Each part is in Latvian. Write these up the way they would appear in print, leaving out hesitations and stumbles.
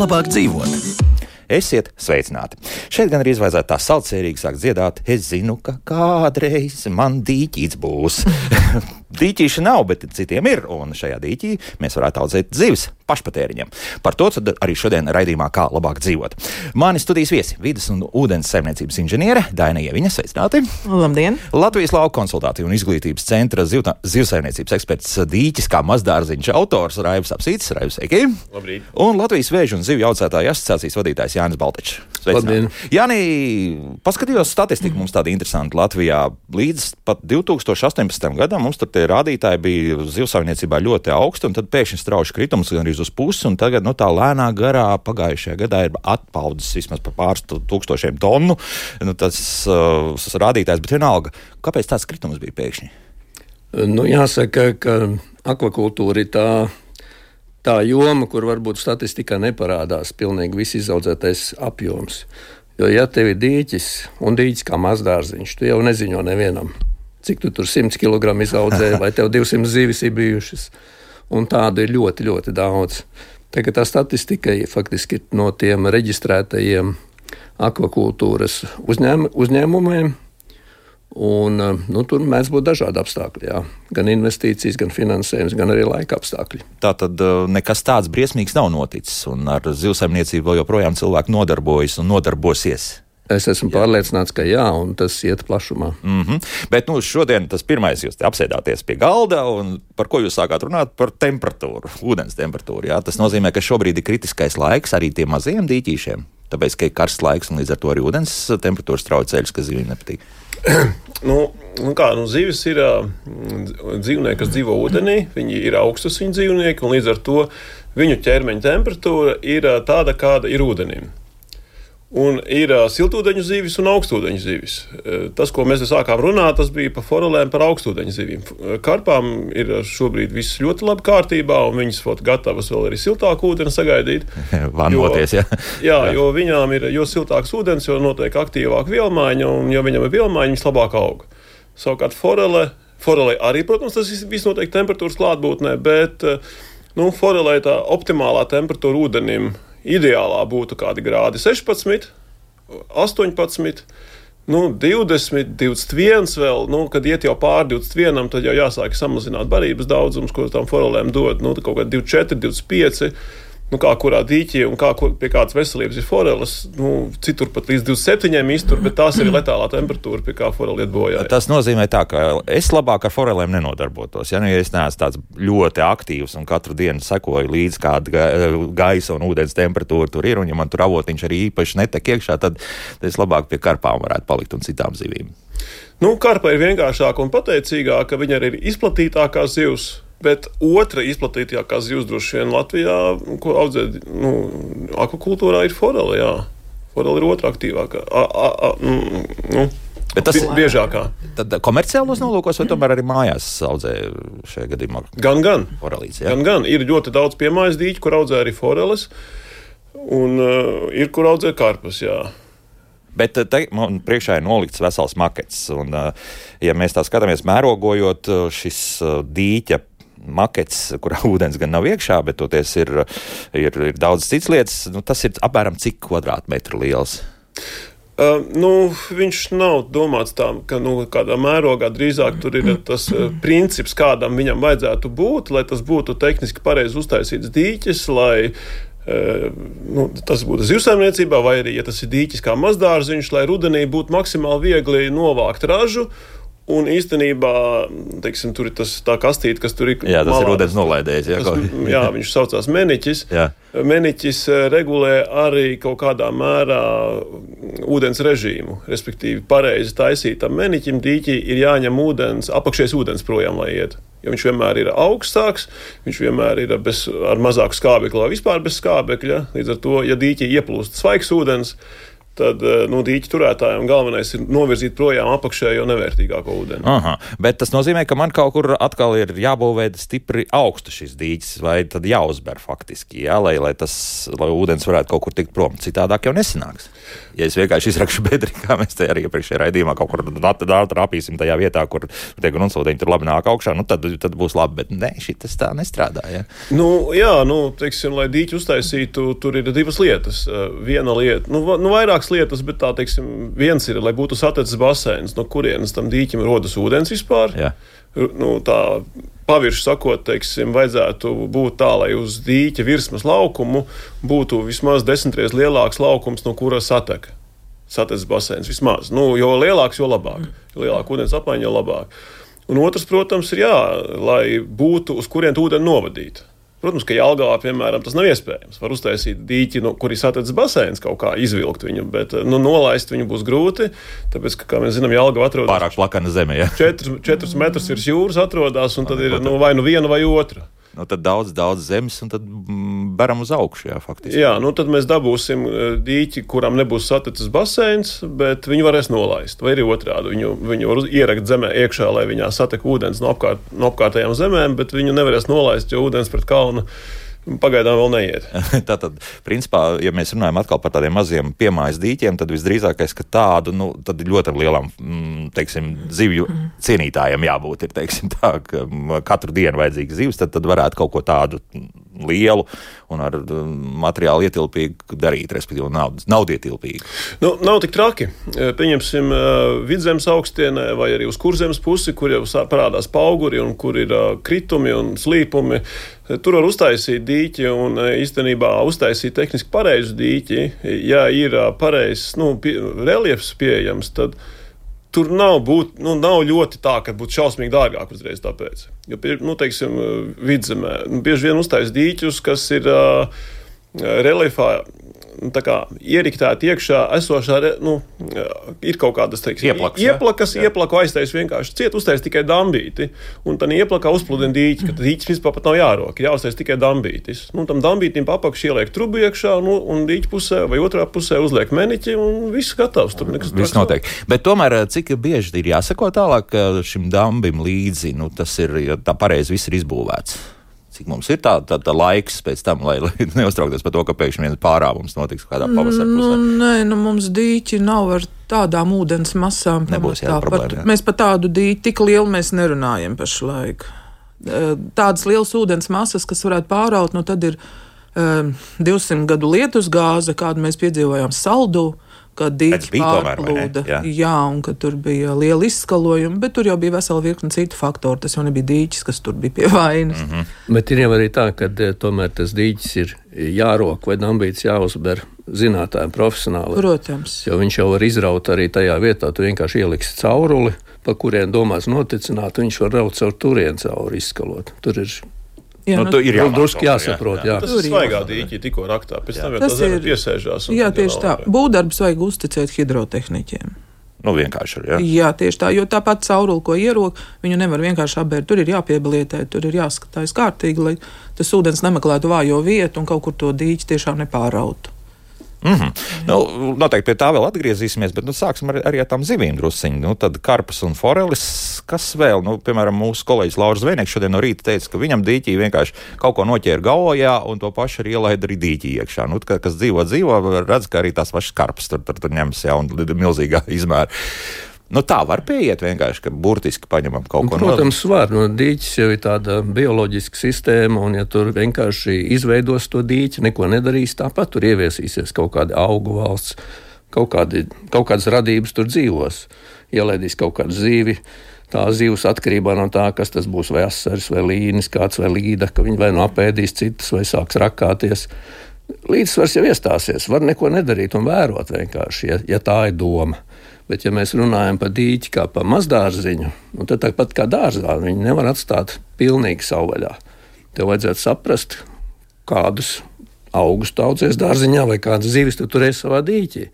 labāk dzīvot. Esiet sveicināti. Šeit gan arī vajadzētu tā saucējīgi sākt dziedāt. Es zinu, ka kādreiz man dīķīts būs. Dīķīša nav, bet citiem ir, un šajā dīķī mēs varētu audzēt zivis pašpatēriņiem. Par to arī šodien raidījumā Kā labāk dzīvot. Mani studijas viesi - vides un ūdens saimniecības inženiere Daina Ieviņa, sveicināti. Labdien! Latvijas lauku konsultāciju un izglītības centra zivsaimniecības eksperts dīķis kā mazdārziņš autors Raivs Apsītis. Raivs, sveiki! Labrīt! Un Latvijas vēžu un zivju audzētāju asociācijas vadītājs Jānis Baltečs. Labdien! Jāni, paskatījos statistiku, mums tāda interesanta Latvijā. Līdz pat 2018. gadam mums tur tie rādītāji bija zivsaimniecībā ļoti augsti, un tad pēkšņi strauši kritums gan arī uz pusi, un tagad tā lēnā garā pagājušajā gadā ir atpaudzis vismaz par pāris tūkstošiem tonu. Tas rādītājs, bet vienalga, kāpēc tāds kritums bija pēkšņi? Jāsaka, ka akvakultūra ir tā joma, kur varbūt statistikā neparādās pilnīgi viss izaudzētais apjoms. Jo, ja tev ir dīķis un dīķis kā mazdārziņš, tu jau neziņo nevienam, cik tu tur 100 kg izaudzē, vai tev 200 zivis ir bijušas. Un tādu ir ļoti, ļoti daudz. Tagad tā statistika faktiski no tiem reģistrētajiem akvakultūras uzņēmumiem. Un, tur mēdz būt dažādi apstākļi. Jā. Gan investīcijas, gan finansējums, gan arī laika apstākļi. Tātad nekas tāds briesmīgs nav noticis, un ar zivsaimniecību vēl joprojām cilvēki nodarbojas un nodarbosies. Es esmu pārliecināts, ka jā, un tas iet plašumā. Bet šodien tas pirmais, jūs apsēdāties pie galda, un par ko jūs sākāt runāt? Par temperatūru, ūdens temperatūru. Jā. Tas nozīmē, ka šobrīd ir kritiskais laiks arī tiem mazajiem dīķīšiem, tāpēc, ka ir karsts laiks, un līdz ar to arī ūdens temperatūras strauji ceļas, kas zivīm nepatīk. Zivis ir dzīvnieki, kas dzīvo ūdenī, viņi ir augstasiņu dzīvnieki, un līdz ar to viņu ķermeņa temperatūra ir tāda, kāda ir ūdenim. Un ir siltūdeņu zivis un augstūdeņu zivis. Tas, ko mēs sākām runāt, tas bija par forelēm, par augstūdeņu zivīm. Karpām ir šobrīd viss ļoti labi kārtībā, un viņas gatavas vēl arī siltāku ūdeni sagaidīt. Vannoties, jā. Jā, jo viņām ir jo siltāks ūdens, jo notiek aktīvāka vielmaiņa, un jo viņam ir vielmaiņa, viņas labāk aug. Savukārt forelē arī, protams, tas viss notiek temperatūras klātbūtnē, bet forelē tā optimālā temperatūra ūdenim ideālā būtu kādi grādi 16, 18, 20, 21 vēl, kad iet jau pār 21, tad jau jāsāk samazināt barības daudzums, ko tām forelēm dod, kaut kā 24, 25, kā kurā dīķī un pie kādas veselības ir foreles, citur pat līdz 27 iztur, bet tās ir letālā temperatūra, pie kā foreli iet bojā. Tas nozīmē tā, ka es labāk ar forelēm nenodarbotos. Ja es neesmu tāds ļoti aktīvs un katru dienu sekoju līdz kāda gaisa un ūdens temperatūra tur ir, un ja man tur avotiņš arī īpaši netek iekšā, tad es labāk pie karpām varētu palikt un citām zivīm. Karpa ir vienkāršāka un pateicīgāka, viņa arī ir izplatītākā zivs. Bet otra izplatītākā zivs droši vien Latvijā, ko audzē akvakultūrā, ir forele. Jā. Forele ir otra aktīvākā. Bet tas ir biežākā. Tad komerciālos nolūkos vai tomēr arī mājās audzē šajā gadījumā? Gan. Forelītes, jā? Gan. Ir ļoti daudz piemājas dīķi, kur audzē arī foreles, un ir, kur audzē karpas, jā. Bet te man priekšā ir nolikts vesels makets, un ja mēs tā skatāmies mērogojot šis dīķa makets, kurā ūdens gan nav iekšā, bet toties ir daudz cits lietas, tas ir apmēram cik kvadrātmetru liels? Viņš nav domāts tā, ka kādā mērogā drīzāk tur ir tas princips, kādam viņam vajadzētu būt, lai tas būtu tehniski pareizi uztaisīts dīķis, lai tas būtu zivsaimniecībā, vai arī, ja tas ir dīķis kā mazdārziņš, lai rudenī būtu maksimāli viegli novākt ražu. Un īstenībā, teiksim, tur ir tā kastīte, kas tur ir. Jā, tas malā, ir ūdens nolaidējs. Jā, viņš saucās meniķis. Jā. Meniķis regulē arī kaut kādā mērā ūdens režīmu. Respektīvi, pareizi taisītam meniķim dīķī ir jāņem apakšējais ūdens projām, lai iet. Jo viņš vienmēr ir augstāks, viņš vienmēr ir ar mazāku skābekli vai vispār bez skābekļa. Līdz ar to, ja dīķī ieplūst svaigs ūdens, tad dīķa turētājiem galvenais ir novirzīt projām apakšējo nevērtīgāko ūdeni. Aha, bet tas nozīmē, ka man kaut kur atkal ir jābūvē stipri augstu šis dīķis, vai tad jāuzber faktiski, lai ūdens varētu kaut kur tikt prom. Citādāk jau nesanāks. Ja es vienkārši izrakšu bedri, kā mēs te arī iepriekšējā raidījumā kaut kur trāpīsim tajā vietā, kur tie gruntsūdeņi tur labi nāk augšā, tad būs labi, bet ne, šitas tā nestrādā, ja? Teiksim, lai dīķi uztaisītu, tur ir divas lietas. Viena lieta, vairākas lietas, bet tā, teiksim, viens ir, lai būtu satecis baseins, no kurienes tam dīķim rodas ūdens vispār. Jā. Tā pavirši sakot, teiksim, vajadzētu būt tā, lai uz dīķa virsmas laukumu būtu vismaz 10 reizes lielāks laukums, no kura satecis baseins vismaz. Jo lielāks, jo labāk. Jo lielāk ūdens apmaiņa, jo labāk. Un otrs, protams, ir lai būtu, uz kurien ūdeni novadīt. Protams, ka Jelgavā, piemēram, tas nav iespējams. Var uztaisīt dīķi, kur ir satecis baseins, kaut kā izvilkt viņu, bet nolaist viņu būs grūti, tāpēc, ka, kā mēs zinām, Jelgava atrodas pārāk plakana zeme, ja? 4 metrus virs jūras atrodas, un tad ir vai viena vai otra. Tad daudz zemes, un tad baram uz augšu, jā, faktiski. Jā, tad mēs dabūsim dīķi, kuram nebūs satecis baseins, bet viņu varēs nolaist. Vai arī otrādi, viņu var ierakt zemē iekšā, lai viņā satek ūdens no apkārtējām zemēm, bet viņu nevarēs nolaist, jo ūdens pret kalnu pagaidām vēl neiet. Tātad, principā, ja mēs runājam atkal par tādiem maziem piemājas dīķiem, tad visdrīzākais, ka tādu, tad ļoti lielam, teiksim, zivju cienītājiem jābūt, ir, teiksim, tā, ka katru dienu vajadzīga zivs, tad varētu kaut ko tādu lielu un ar materiālu ietilpīgu darīt, respektīvi naudietilpīgu. Nav tik traki. Pieņemsim Vidzemes augstienē vai arī uz Kurzemes pusi, kur jau parādās pauguri un kur ir kritumi un slīpumi. Tur var uztaisīt dīķi un īstenībā uztaisīt tehniski pareizu dīķi. Ja ir pareizs reliefs pieejams, tad tur nav ļoti tā, ka būtu šausmīgi dārgāk uzreiz tāpēc. Jo, teiksim, Vidzemē bieži vien uztais dīķus, kas ir reliefā ieriktēti iekšā esošā, ir kaut kādas, teiksim, ieplaku aiztais vienkārši ciet, uztais tikai dambīti, un tad ieplakā uzpludina dīķi, ka dīķis vispār pat nav jāroka, jāuztais tikai dambītis. Tam dambītim pa apakšu ieliek trubu iekšā, un dīķi pusē vai otrā pusē uzliek meniķi, un viss gatavs. Tur nekas viss notiek. Bet tomēr, cik bieži ir jāsako tālāk šim dambim līdzi, tas ir, ja tā pareizi viss ir izbūvēts? Cik mums ir tā laiks pēc tam, lai neuztrauktos par to, ka pēkšņi viens pārāvums notiks kādā pavasara pusē? Nē, mums dīķi nav ar tādām ūdens masām. Nebūs problēma. Mēs par tādu dīķi tik lielu mēs nerunājam pašlaik. Tādas lielas ūdens masas, kas varētu pāraut, tad ir 200 gadu lietus gāze, kādu mēs piedzīvojām Saldū, kad dīķi pārplūda. Jā, un kad tur bija liela izskalojuma, bet tur jau bija vesela virkne citu faktoru. Tas jau nebija dīķis, kas tur bija pie vainas. Bet ir jau arī tā, ka tomēr tas dīķis ir jārok vai dambīts jāuzber zinātājiem profesionāli. Protams. Jo viņš jau var izraut arī tajā vietā, tu vienkārši ieliksi cauruli, pa kurien domās noticināt, viņš var raut caur turien cauri izskalot. Tur ir... tur ir drusku jāsaprot. Jā. Tas ir svaigā dīķi tikko raktā, pēc tam jau tā zeme piesēžās. Jā, tieši tā. Būvdarbus vajag uzticēt hidrotehniķiem. Vienkārši ir, jā. Jā, tieši tā, jo tāpat cauruli, ko ierok, viņu nevar vienkārši apbērt. Tur ir jāpieblietē, tur ir jāskatās kārtīgi, lai tas ūdens nemeklētu vājo vietu un kaut kur to dīķi tiešām nepārautu. Noteikti pie tā vēl atgriezīsimies, bet sāksim arī ar tām zivīm drusciņi. Tad karpas un forelis, kas vēl? Piemēram, mūsu kolēģis Lauris Zvejnieks šodien no rīta teica, ka viņam dīķī vienkārši kaut ko noķēra gaujā un to pašu arī ielaida arī dīķī iekšā. Kas dzīvo, redz, ka arī tās pašas karpas tur ņems, un milzīgā izmēra. Tā var pieiet vienkārši, ka burtiski paņemam kaut ko. Protams, var. Dīķis jau ir tāda bioloģiska sistēma, un ja tur vienkārši izveidos to dīķi, neko nedarīs, tāpat tur ieviesīsies kaut kādi augu valsts, kaut kādas radības tur dzīvos. Ielaidīs kaut kādu zīvi, tā zivs atkarībā no tā, kas tas būs, vai asaris, vai līnis, kāds vai līda, ka viņi vai apēdīs citus, vai sāks rakāties. Līdzsvars jau iestāsies, var neko nedarīt un vērot vienkārši, ja tā ir doma. Bet, ja mēs runājam par dīķi kā par mazdārziņu, tad tāpat kā dārzā, viņi nevar atstāt pilnīgi savvaļā. Tev vajadzētu saprast, kādus augus tu audzēs dārziņā vai kādas zivis tu turēsi savā dīķī.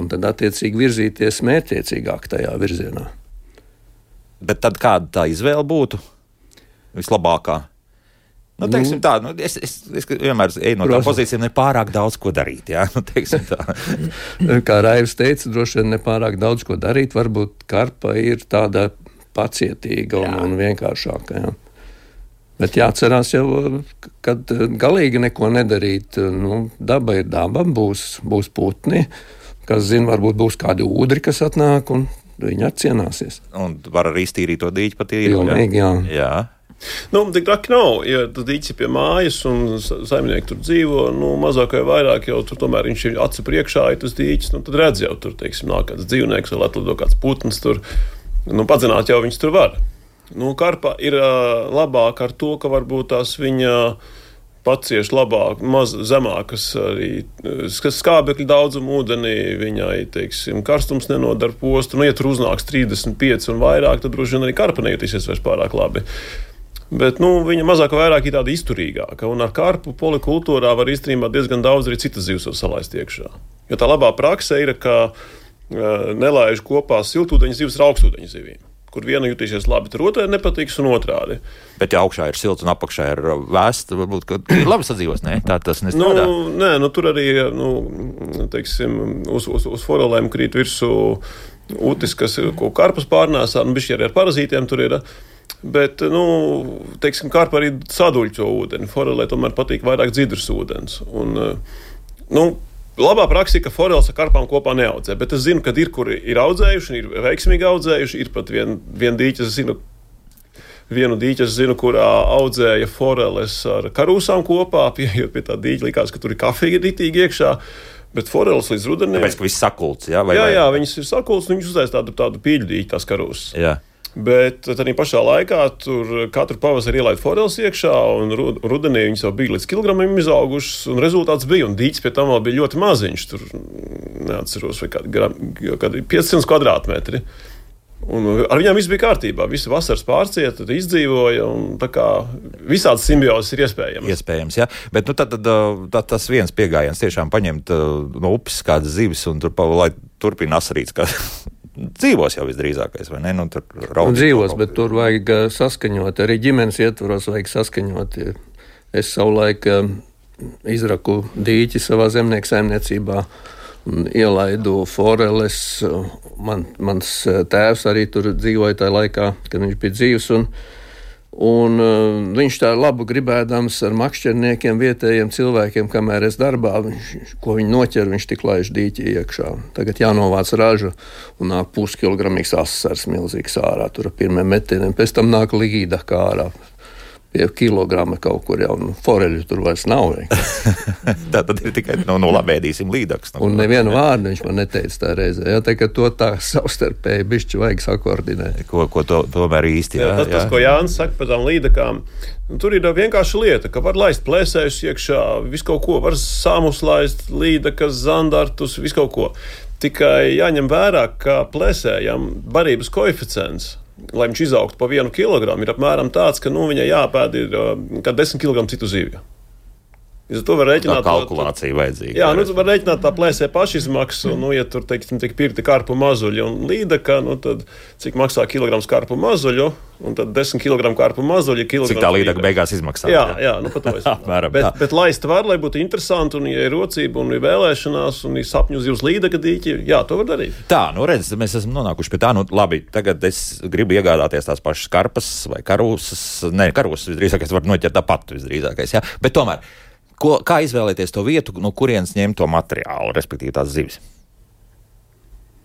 Un tad attiecīgi virzīties mērķiecīgāk tajā virzienā. Bet tad kāda tā izvēle būtu vislabākā? Nu, teiksim tā, es vienmēr eju no tā pozīcijām, nepārāk daudz ko darīt, jā, nu, teiksim tā. Kā Raivs teica, droši vien nepārāk daudz ko darīt, varbūt karpa ir tāda pacietīga un vienkāršāka, jā. Bet jāatcerās jau, kad galīgi neko nedarīt, nu, daba ir daba, būs putni, kas zina, varbūt būs kādi ūdri, kas atnāk, un viņi atcienāsies. Un var arī iztīrīt to dīķi patīri. Pilnīgi, jā. Nu, tik traki nav, ja tas dīķis ir pie mājas un saimnieki tur dzīvo, nu, mazāk vai vairāk jau tur tomēr viņš ir acu priekšā, ja tas dīķis, nu, tad redz jau tur, teiksim, nāk kāds dzīvnieks vai atlido kāds putns tur, nu, padzināt jau viņš tur var. Nu, karpa ir labāk ar to, ka varbūt tās viņa pacieš labāk, zemākas arī skābekļa daudzumu ūdenī, viņai, teiksim, karstums nenodara postu, nu, ja tur uznāks 35 un vairāk, tad droši vien arī karpa nejutīsies vairs pārāk labi. Bet, nu, viņa mazāk vai vairāk ir tāda izturīgāka, un ar karpu polikultūrā var īstenībā diezgan daudz arī citas zivs salaist iekšā. Jo tā labā prakse ir, ka nelaiž kopā siltūdeņu zivs ar augstūdeņu zivīm, kur viena jutīsies labi, tur otrai nepatiks un otrādi. Bet ja augšā ir silts un apakšā ir vēsts, varbūt, ka ir labi sadzīvos, ne? Tā tas nestrādā. Nē, tur arī, teiksim, uz forelēm krīt virsū utis, ko karpas pārnēsā, bišķi arī ar parazītiem tur ir. Bet, teiksim, karpa arī saduļķo ūdeni. Forelē tomēr patīk vairāk dzidrs ūdens. Un, labā praksa ir, ka foreles ar karpām kopā neaudzē, bet es zinu, ka ir, kuri ir audzējuši, ir veiksmīgi audzējuši, ir pat vienu dīķi, es zinu, kurā audzēja foreles ar karūsām kopā, pieejot pie tā dīķa, likās, ka tur ir kafija ritīgi iekšā, bet foreles līdz rudenim. Tāpēc, ka viss sakults, jā? Jā, viņas ir sakults, un viņš uztais tādu pīļu dīķi, tās karūsas. Jā. Bet arī pašā laikā tur katru pavasari ielaid foreles iekšā, un rudenī viņas jau bija līdz kilogramiem izaugušas, un rezultāts bija, un dīķis pie tam vēl bija ļoti maziņš, tur neatceros, vai kādi 500 kvadrātmetri. Un ar viņām viss bija kārtībā, visi vasaras pārcieta, tad izdzīvoja, un tā kā visādas simbiozes ir iespējamas. Iespējams, jā, bet tad tas viens piegājiens tiešām paņemt no upes kādas zivis, un lai turpina asarīts, kā dzīvos jau visdrīzākais, vai ne? Dzīvos, bet tur vajag saskaņot, arī ģimenes ietvaros vajag saskaņot. Es savulaik izraku dīķi savā zemnieku saimniecībā un ielaidu foreles. Mans tēvs arī tur dzīvoja tajā laikā, kad viņš bija dzīvs, un viņš tā labu gribēdams ar makšķerniekiem, vietējiem cilvēkiem, kamēr es darbā, ko viņi noķer, viņš tik laiž dīķi iekšā. Tagad jānovāc ražu un nāk puskilogramīgs asars milzīgs ārā, tur ar pirmiem metieniem, pēc tam nāk līda kā ārā. Pie kilograma kaut kur jau, foreļu tur vairs nav. Tā tad ir tikai, labi ēdīsim līdaks. Un nevienu vārdu viņš man neteica tā reizē. Jā, tā, ka to tā savstarpēji bišķi vajag sakoordinēt. Ko tomēr īsti, jā. Tas, ko Jānis saka par tām līdakām, tur ir vienkārši lieta, ka var laist plēsējus iekšā, visu kaut ko, var sāmus laist, līdakas, zandartus, visu kaut ko. Tikai jāņem vērā, ka plēsējam barības koeficients, lai viņš izaugtu pa 1 kilogramu, ir apmēram tāds, ka viņai jāpēd ir kā 10 kg citu zivju. To var rēķināt. Tā kalkulācija vajadzīga. Jā, tu var rēķināt tā plēsē pašizmaksu, ja tur, teiksim, tiek pirkti karpu mazuļi un līdaka, tad cik maksā kilograms karpu mazuļu, un tad 10 kg karpu mazuļi, kilograms. Cik tā līdaka beigās izmaksā. Jā, pa to es. bet laist var, lai būtu interesanti, un ja ir rocība, un ir vēlēšanās, un ir sapņu zivs līdaka dīķi, jā, to var darīt. Tā, redz, mēs esam nonākuši pie tā, labi, tagad es gribu iegādāties tās pašas karpas vai karūsas. Karūsas visdrīzākais var noķert tāpat visdrīzākais, jā, bet tomēr. Kā izvēlēties to vietu, no kurienes ņemt to materiālu, respektīvi tās zivis?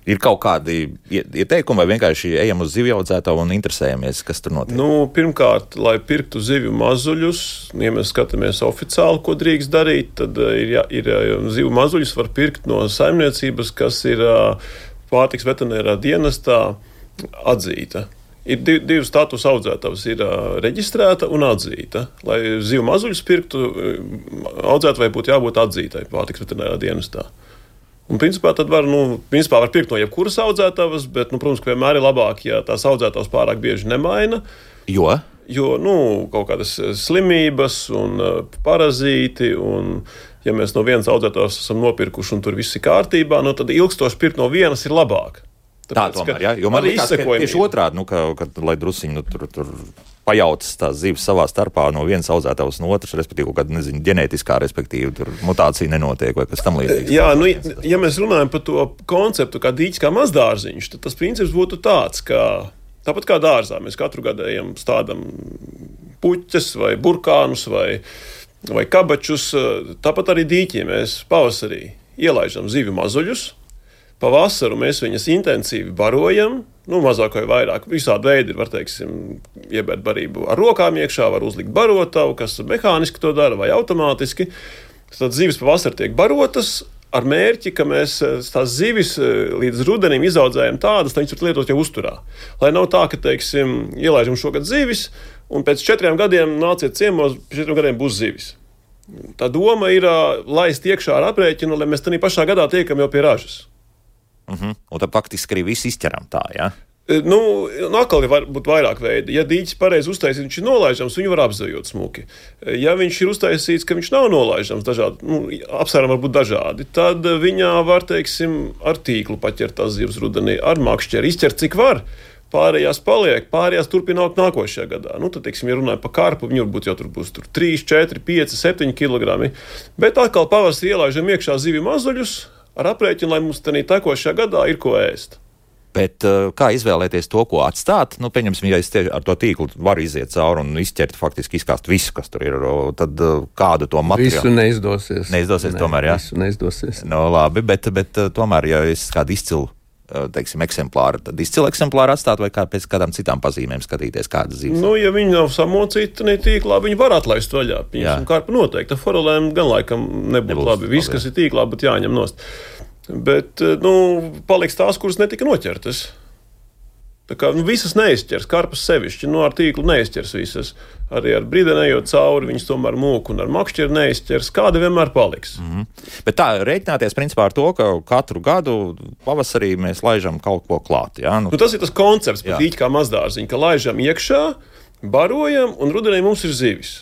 Ir kaut kādi ieteikumi, vai vienkārši ejam uz zivju audzētāju un interesējamies, kas tur notiek? Pirmkārt, lai pirktu zivju mazuļus, ja mēs skatāmies oficiāli, ko drīkst darīt, tad ir zivju mazuļus var pirkt no saimniecības, kas ir pārtiks veterinārā dienestā atzīta. Ir divi statusu audzētavas, ir reģistrēta un atzīta. Lai zivu mazuļus pirktu, audzētavai būtu jābūt atzītai pārtiks veterinārā dienestā. Un principā tad var pirkt no jebkuras audzētavas, bet, protams, ka vienmēr ir labāk, ja tās audzētavas pārāk bieži nemaina. Jo, kaut kādas slimības un parazīti, un ja mēs no vienas audzētavas esam nopirkuši un tur viss ir kārtībā, tad ilgstoši pirkt no vienas ir labāk. Tā tomēr, jā, jo man liekas, ka tieši otrādi, lai drusiņi tur pajautas tās zivis savā starpā no vienas audzētavas no otras, respektīvi, kaut kāda, ģenētiskā, respektīvi, tur mutācija nenotiek vai kas tam līdzīgs. Jā, ja mēs runājam par to konceptu kā dīķis, kā mazdārziņš, tad tas princips būtu tāds, ka tāpat kā dārzā, mēs katru gadu ejam stādam puķes vai burkānus vai kabačus, tāpat arī dīķī mēs pavasarī ielaižam zivju mazuļus. Pavasaru mēs viņas intensīvi barojam, mazāk vai vairāk. Visādi veidi ir, var teiksim, iebērt barību ar rokām iekšā, var uzlikt barotavu, kas mehāniski to dara vai automātiski. Tad zivis pavasarī tiek barotas ar mērķi, ka mēs tās zivis līdz rudenim izaudzējam tādas, lai viņas var lietot jau uzturā. Lai nav tā, ka, teiksim, ielaižam šogad zivis, un pēc 4 gadiem nāciet ciemos, pēc 4 gadiem būs zivis. Tā doma ir laist iekšā ar aprēķinu, lai mēs tādā pašā gadā tiekam jau pie ražas. Un tad faktiski arī viss izķeram tā, jā? Atkal var būt vairāk veidi. Ja dīķis pareizi uztaisīts, viņš ir nolaižams, viņu var apzvejot smuki. Ja viņš ir uztaisīts, ka viņš nav nolaižams, apsvērumi var būt dažādi, tad viņā var, teiksim, ar tīklu paķert tās zivs rudenī, ar makšķeri, izķert cik var. Pārējās paliek, pārējās turpina augt nākošajā gadā. Tad, teiksim, ja runāja par karpu, viņu varbūt jau tur būs 3, 4, 5, 7 kilogrami. Bet atkal pavasarī ielaižam iekšā zivju mazuļus, ar aprēķinu, lai mums tādā tekošajā gadā ir ko ēst. Bet kā izvēlēties to, ko atstāt? Pieņemsim, ja es ar to tīklu varu iziet cauri un izķert, faktiski izkāst visu, kas tur ir, tad kādu to materiālu? Visu neizdosies. Neizdosies tomēr, jā? Visu neizdosies. Labi, bet tomēr, ja es kādu izcilu, teiksim, eksemplāru, tad izcilu eksemplāru atstāt vai pēc kādām citām pazīmēm skatīties, kādas zivis? Ja viņi nav samocīti tīklā, viņi var atlaist vaļā. Karpa noteikti. Ar forelēm gan laikam nebūtu labi. Viss, kas ir tīklā, būtu jāņem nost. Bet, paliks tās, kuras netika noķertas. Tā kā visas neizķers, karpas sevišķi, ar tīklu neizķers visas. Arī ar bridenējot cauri, viņas tomēr mūku un ar makšķeri neizķers. Kāda vienmēr paliks. Bet tā, rēķināties principā ar to, ka katru gadu pavasarī mēs laižam kaut ko klāt. Jā? Tas ir tas koncepts par dīķi kā mazdārziņu, ka laižam iekšā, barojam un rudenī mums ir zivis.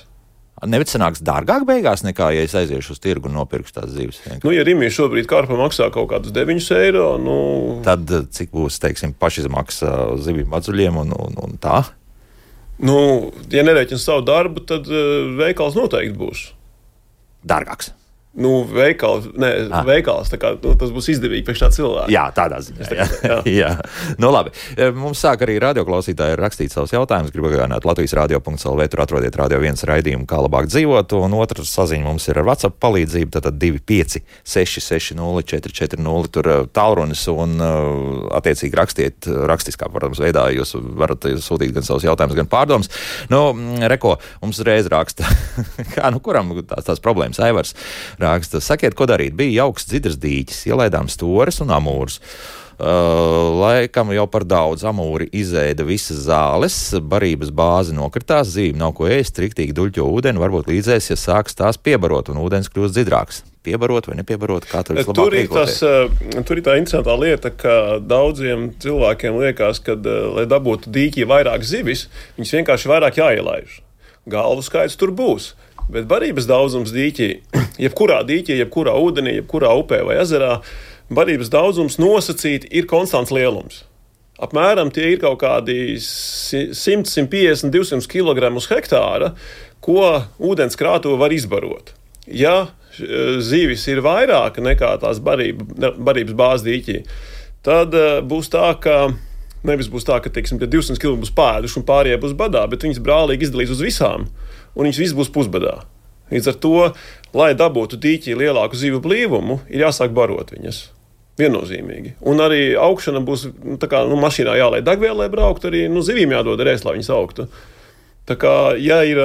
Nevis sanāks dārgāk beigās nekā, ja es aiziešu uz tirgu un nopirkšu tās zivis. Ja Rimī šobrīd karpa maksā kaut kādus 9 eiro, tad cik būs, teiksim, pašizmaksa zivju mazuļiem un tā? Ja nerēķina savu darbu, tad veikals noteikti būs. Dārgāks. Veikals, tā kā tas būs izdevīgi priekš tā cilvēka. Jā, tādā ziņā. Jā. Labi. Mums sāk arī radioklausītāji rakstīt savus jautājumus. Gribu atgādināt Latvijas radio.lv, tur atrodiet Radio 1 raidījumu, kā labāk dzīvot. Un otra saziņa mums ir ar WhatsApp palīdzību, tātad 256-60-440, tur tālrunis un attiecīgi rakstiet rakstiskā, protams, veidā. Jūs varat sūtīt gan savus jautājumus, gan pārdomas. Reko, mums reiz raksta, kuram tās problēmas Aivars raksta. Sakiet, ko darīt? Bija jauks dzidras dīķis, ielaidām stores un amūrus. Laikam jau par daudz amūri izēda visas zāles, barības bāze nokritās, zīme nav ko ēst, striktīgi duļķo ūdeni, varbūt līdzēs, ja sāks tās piebarot un ūdens kļūst dzidrāks. Piebarot vai nepiebarot, kā tur vislabāk rīkoties? Tur ir tā interesantā lieta, ka daudziem cilvēkiem liekas, ka, lai dabūtu dīķī vairāk zivis, viņas vienkārši vairāk jāielaiž. Galvu skaits tur būs. Bet barības daudzums dīķī, jebkurā ūdenī, jebkurā upē vai ezerā, barības daudzums nosacīti ir konstants lielums. Apmēram tie ir kaut kādi 100, 150, 200 kg uz hektāra, ko ūdens krātuve var izbarot. Ja zivis ir vairāk nekā tās barības bāze dīķī, tad būs tā, ka nevis būs tā, ka, teiksim, 200 kg būs pēduši un pārējie būs badā, bet viņas brālīgi izdalīs uz visām. Un viņas viss būs pusbadā. Līdz ar to, lai dabūtu dīķī lielāku zivju blīvumu, ir jāsāk barot viņas. Viennozīmīgi. Un arī augšana būs, mašīnā jālai degviela, lai brauktu, arī zivīm jādod ēst, lai viņas augtu. Tā kā, ja ir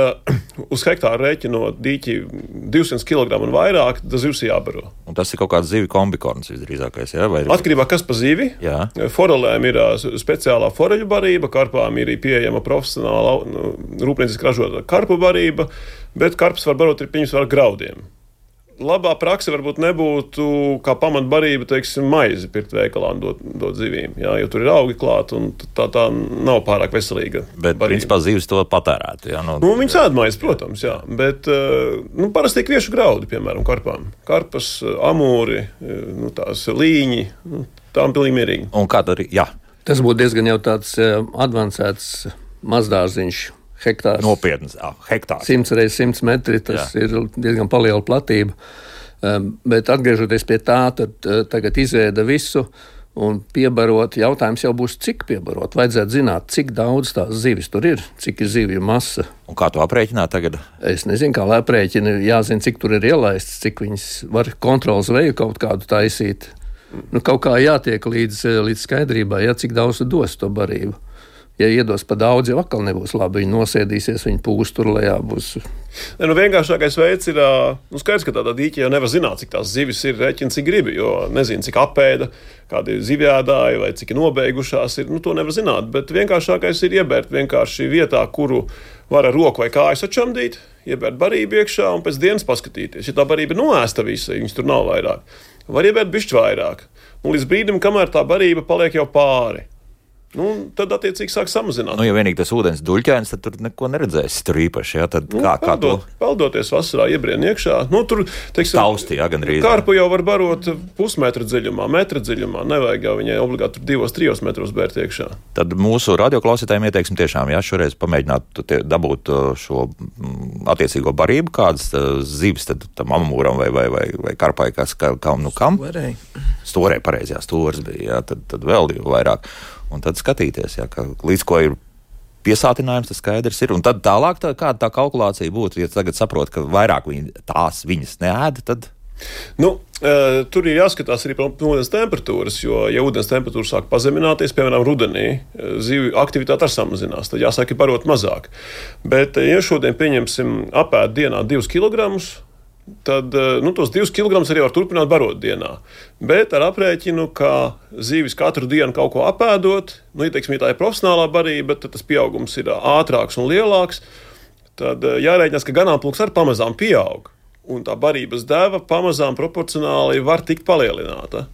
uz hektāru rēķinot dīķi 200 kg un vairāk, tas zivs jābaro. Un tas ir kaut kāds zivju kombikorns visdrīzākais, jā? Atkarībā kas pa zivi. Jā. Forelēm ir speciālā foreļu barība, karpām ir pieejama profesionāla rūpnieciski ražota karpu barība, bet karps var barot ar graudiem. Labā prakse varbūt nebūtu kā pamatbarība, teiksim, maizi pirkt veikalā un dot zivīm, jā, jo tur ir augi klāt un tā nav pārāk veselīga. Bet, principā, zivis to patērētu, jā? Viņas ēd maizi, protams, jā, bet parasti tiek viešu graudi, piemēram, karpām. Karpas, amūri, tās līņi, Tā ir pilnīgi mierīgi. Un kā tad, jā. Tas būtu diezgan jau tāds advancēts mazdārziņš, hektārs. Nopietns, hektārs. 100 x 100 metri, tas ir diezgan liela platība. Bet atgriežoties pie tā, tad tagad izēda visu un piebarot. Jautājums jau būs, cik piebarot. Vajadzētu zināt, cik daudz tās zivis tur ir, cik ir zivju masa. Un kā to aprēķināt tagad? Es nezinu, kā lai aprēķina. Jāzina, cik tur ir ielaists, cik viņas var kontrolas veju kaut kādu taisīt. Kaut kā jātiek līdz skaidrībai, cik daudz dos to barību. Ja iedos pa daudz, jau atkal nebūs labi. Viņi nosēdīsies, viņi pūs tur lejā. Vienkāršākais veids ir, skaidrs, ka tādā dīķī jau nevar zināt, cik tās zivis ir, rēķina, cik gribi, jo nezinu, cik apēda, kādi zivjādāji vai cik nobeigušās ir. To nevar zināt, bet vienkāršākais ir iebērt vienkārši vietā, kuru var ar roku vai kāju sačamdīt, iebērt barību iekšā un pēc dienas paskatīties. Ja tā barība ir noēsta visa, viņas tur nav vairāk, var iebērt bišķi vairāk. Un līdz brīdim, kamēr tā barība paliek jau pāri. Tad, attiecīgi, sāk samazināt. Ja vienīgi tas ūdens duļķēns, tad tur neko neredzēsi tur īpaši. Tad kā to? Peldoties vasarā, iebrien iekšā. Tur, teiksim, tausti, gandrīz. Karpu jau var barot pusmetra dziļumā, metra dziļumā. Nevajag jau viņai obligāti 2-3 metros bērt iekšā. Tad mūsu radioklausītājiem ieteiksim tiešām, šoreiz pamēģināt dabūt šo attiecīgo barību, kādas zivis tad tam amūram vai karpai, kam. Storē, pareizi, stors bija, tad vēl vēl un tad skatīties, līdz ko ir piesātinājums, tas skaidrs ir. Un tad tālāk, kāda tā kalkulācija būtu, ja tagad saprot, ka vairāk viņas neēda, tad... Tur ir jāskatās arī par ūdens temperatūras, jo, ja ūdens temperatūra sāk pazemināties, piemēram, rudenī, zivju aktivitāte samazinās, tad jāsāk barot mazāk. Bet, ja šodien pieņemsim apēd dienā 2 kilogramus, tad tos 2 kg arī var turpināt barot dienā. Bet ar aprēķinu, ka zivis katru dienu kaut ko apēdot, ja tā ir profesionālā barība, tad tas pieaugums ir ātrāks un lielāks, tad jārēķinās, ka ganāmpulks arī pamazām pieaug. Un tā barības deva pamazām proporcionāli var tikt palielināta.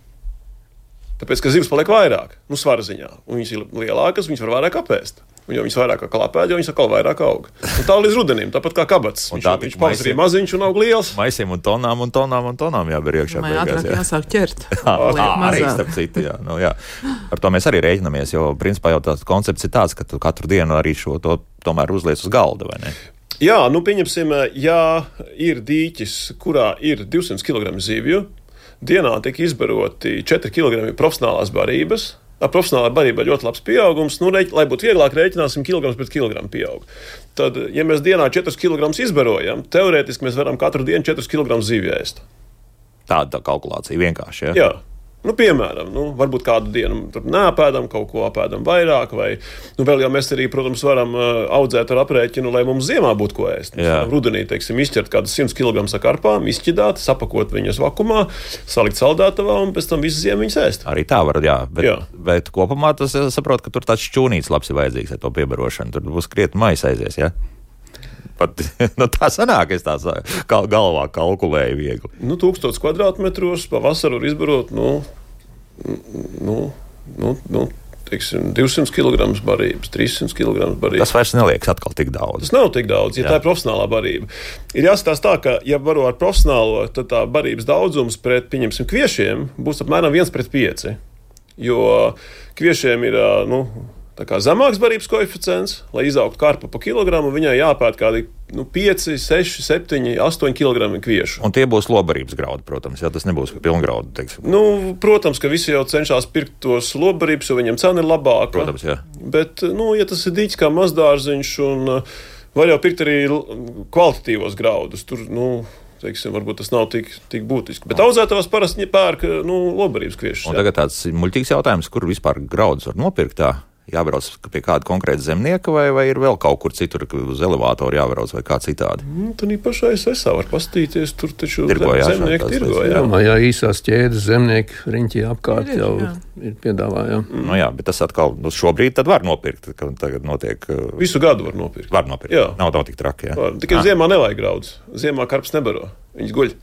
Tāpēc, ka zivs paliek vairāk, svara ziņā. Un viņas ir lielākas, viņas var vairāk apēst. Un jo viņas vairāk klapēd, jo viņas atkal vairāk aug. Un tā līdz rudenim, tāpat kā kabats. Viņš pavasarī maziņš un aug liels. Maisiem un tonām jāber iekšā. Vai ātrāk jāsāk ķert. Arī starp citu, jā. Ar to mēs arī rēķinamies, jo principā jau tāds koncepts ir tāds, ka tu katru dienu arī šo to tomēr uzliec uz galda, vai ne? Jā, pieņemsim, ja ir dīķis, kurā ir 200 kg zivju, dienā tiek izbaroti 4 kg profesionālās barības. Ar profesionālā barībā ļoti labs pieaugums. Lai būtu vieglāk, rēķināsim kilograms pret kilogramu pieaug. Tad, ja mēs dienā 4 kg izbarojam, teorētiski mēs varam katru dienu 4 kg zivju ēst. Tāda kalkulācija vienkārši, Jā. Piemēram, varbūt kādu dienu neapēdam, kaut ko apēdam vairāk, vai vēl jau mēs arī, protams, varam audzēt ar aprēķinu, lai mums ziemā būtu ko ēst. Rudenī, teiksim, izķert kādus 100 kg ar karpām, izķidāt, sapakot viņas vakumā, salikt saldētavā un pēc tam visu ziemu viņas ēst. Arī tā var, bet kopumā tas saprot, ka tur tāds šķūnīts labs ir vajadzīgs ar to piebarošanu. Tur būs krietni maisa aizies, Pat, tā sanāk, es tā galvā kalkulēju viegli. 1000 kvadrātmetros pavasaru var izbarot, teiksim, 200 kg barības, 300 kg barības. Tas vairs neliekas atkal tik daudz. Tas nav tik daudz, tā ir profesionālā barība. Ir jāskatās tā, ka, ja baro ar profesionālo, tad tā barības daudzums pret, pieņemsim, kviešiem būs apmēram 1:5. Jo kviešiem ir, tā kā zemāks barības koeficients, lai izaugtu karpa pa kilogramu, viņai jāpēt kādi 5, 6, 7, 8 kg kviešu. Un tie būs lobarības graudi, protams, tas nebūs pilngraudi, teiksim. Protams, ka visi jau cenšas pirkt tos lobarības, jo viņiem cena ir labāka. Protams, jā. Bet, ja tas ir dīķis kā mazdārziņš, un var jau pirkt arī kvalitatīvos graudus, tur, teiksim, varbūt tas nav tik būtiski. Bet audzētavās parasti pērk, lobarības kviešus. Un tagad tāds muļķīgs jautājums, kur vispār graudus var nopirkt tā? Jābrauc pie kāda konkrēta zemnieka, vai ir vēl kaut kur citur, uz elevātoru jābrauc vai kā citādi? Tur pašā SSA var pastīties, tur taču zemnieki tirgo. Jā, īsās ķēdes zemnieki riņķī apkārt jau ir piedāvā. Bet tas atkal šobrīd tad var nopirkt, ka tagad notiek... Visu gadu var nopirkt. Var nopirkt, jā. Nav tik traki, jā. Tikai ziemā nevajag graudus. Ziemā karps nebaro, viņas guļ.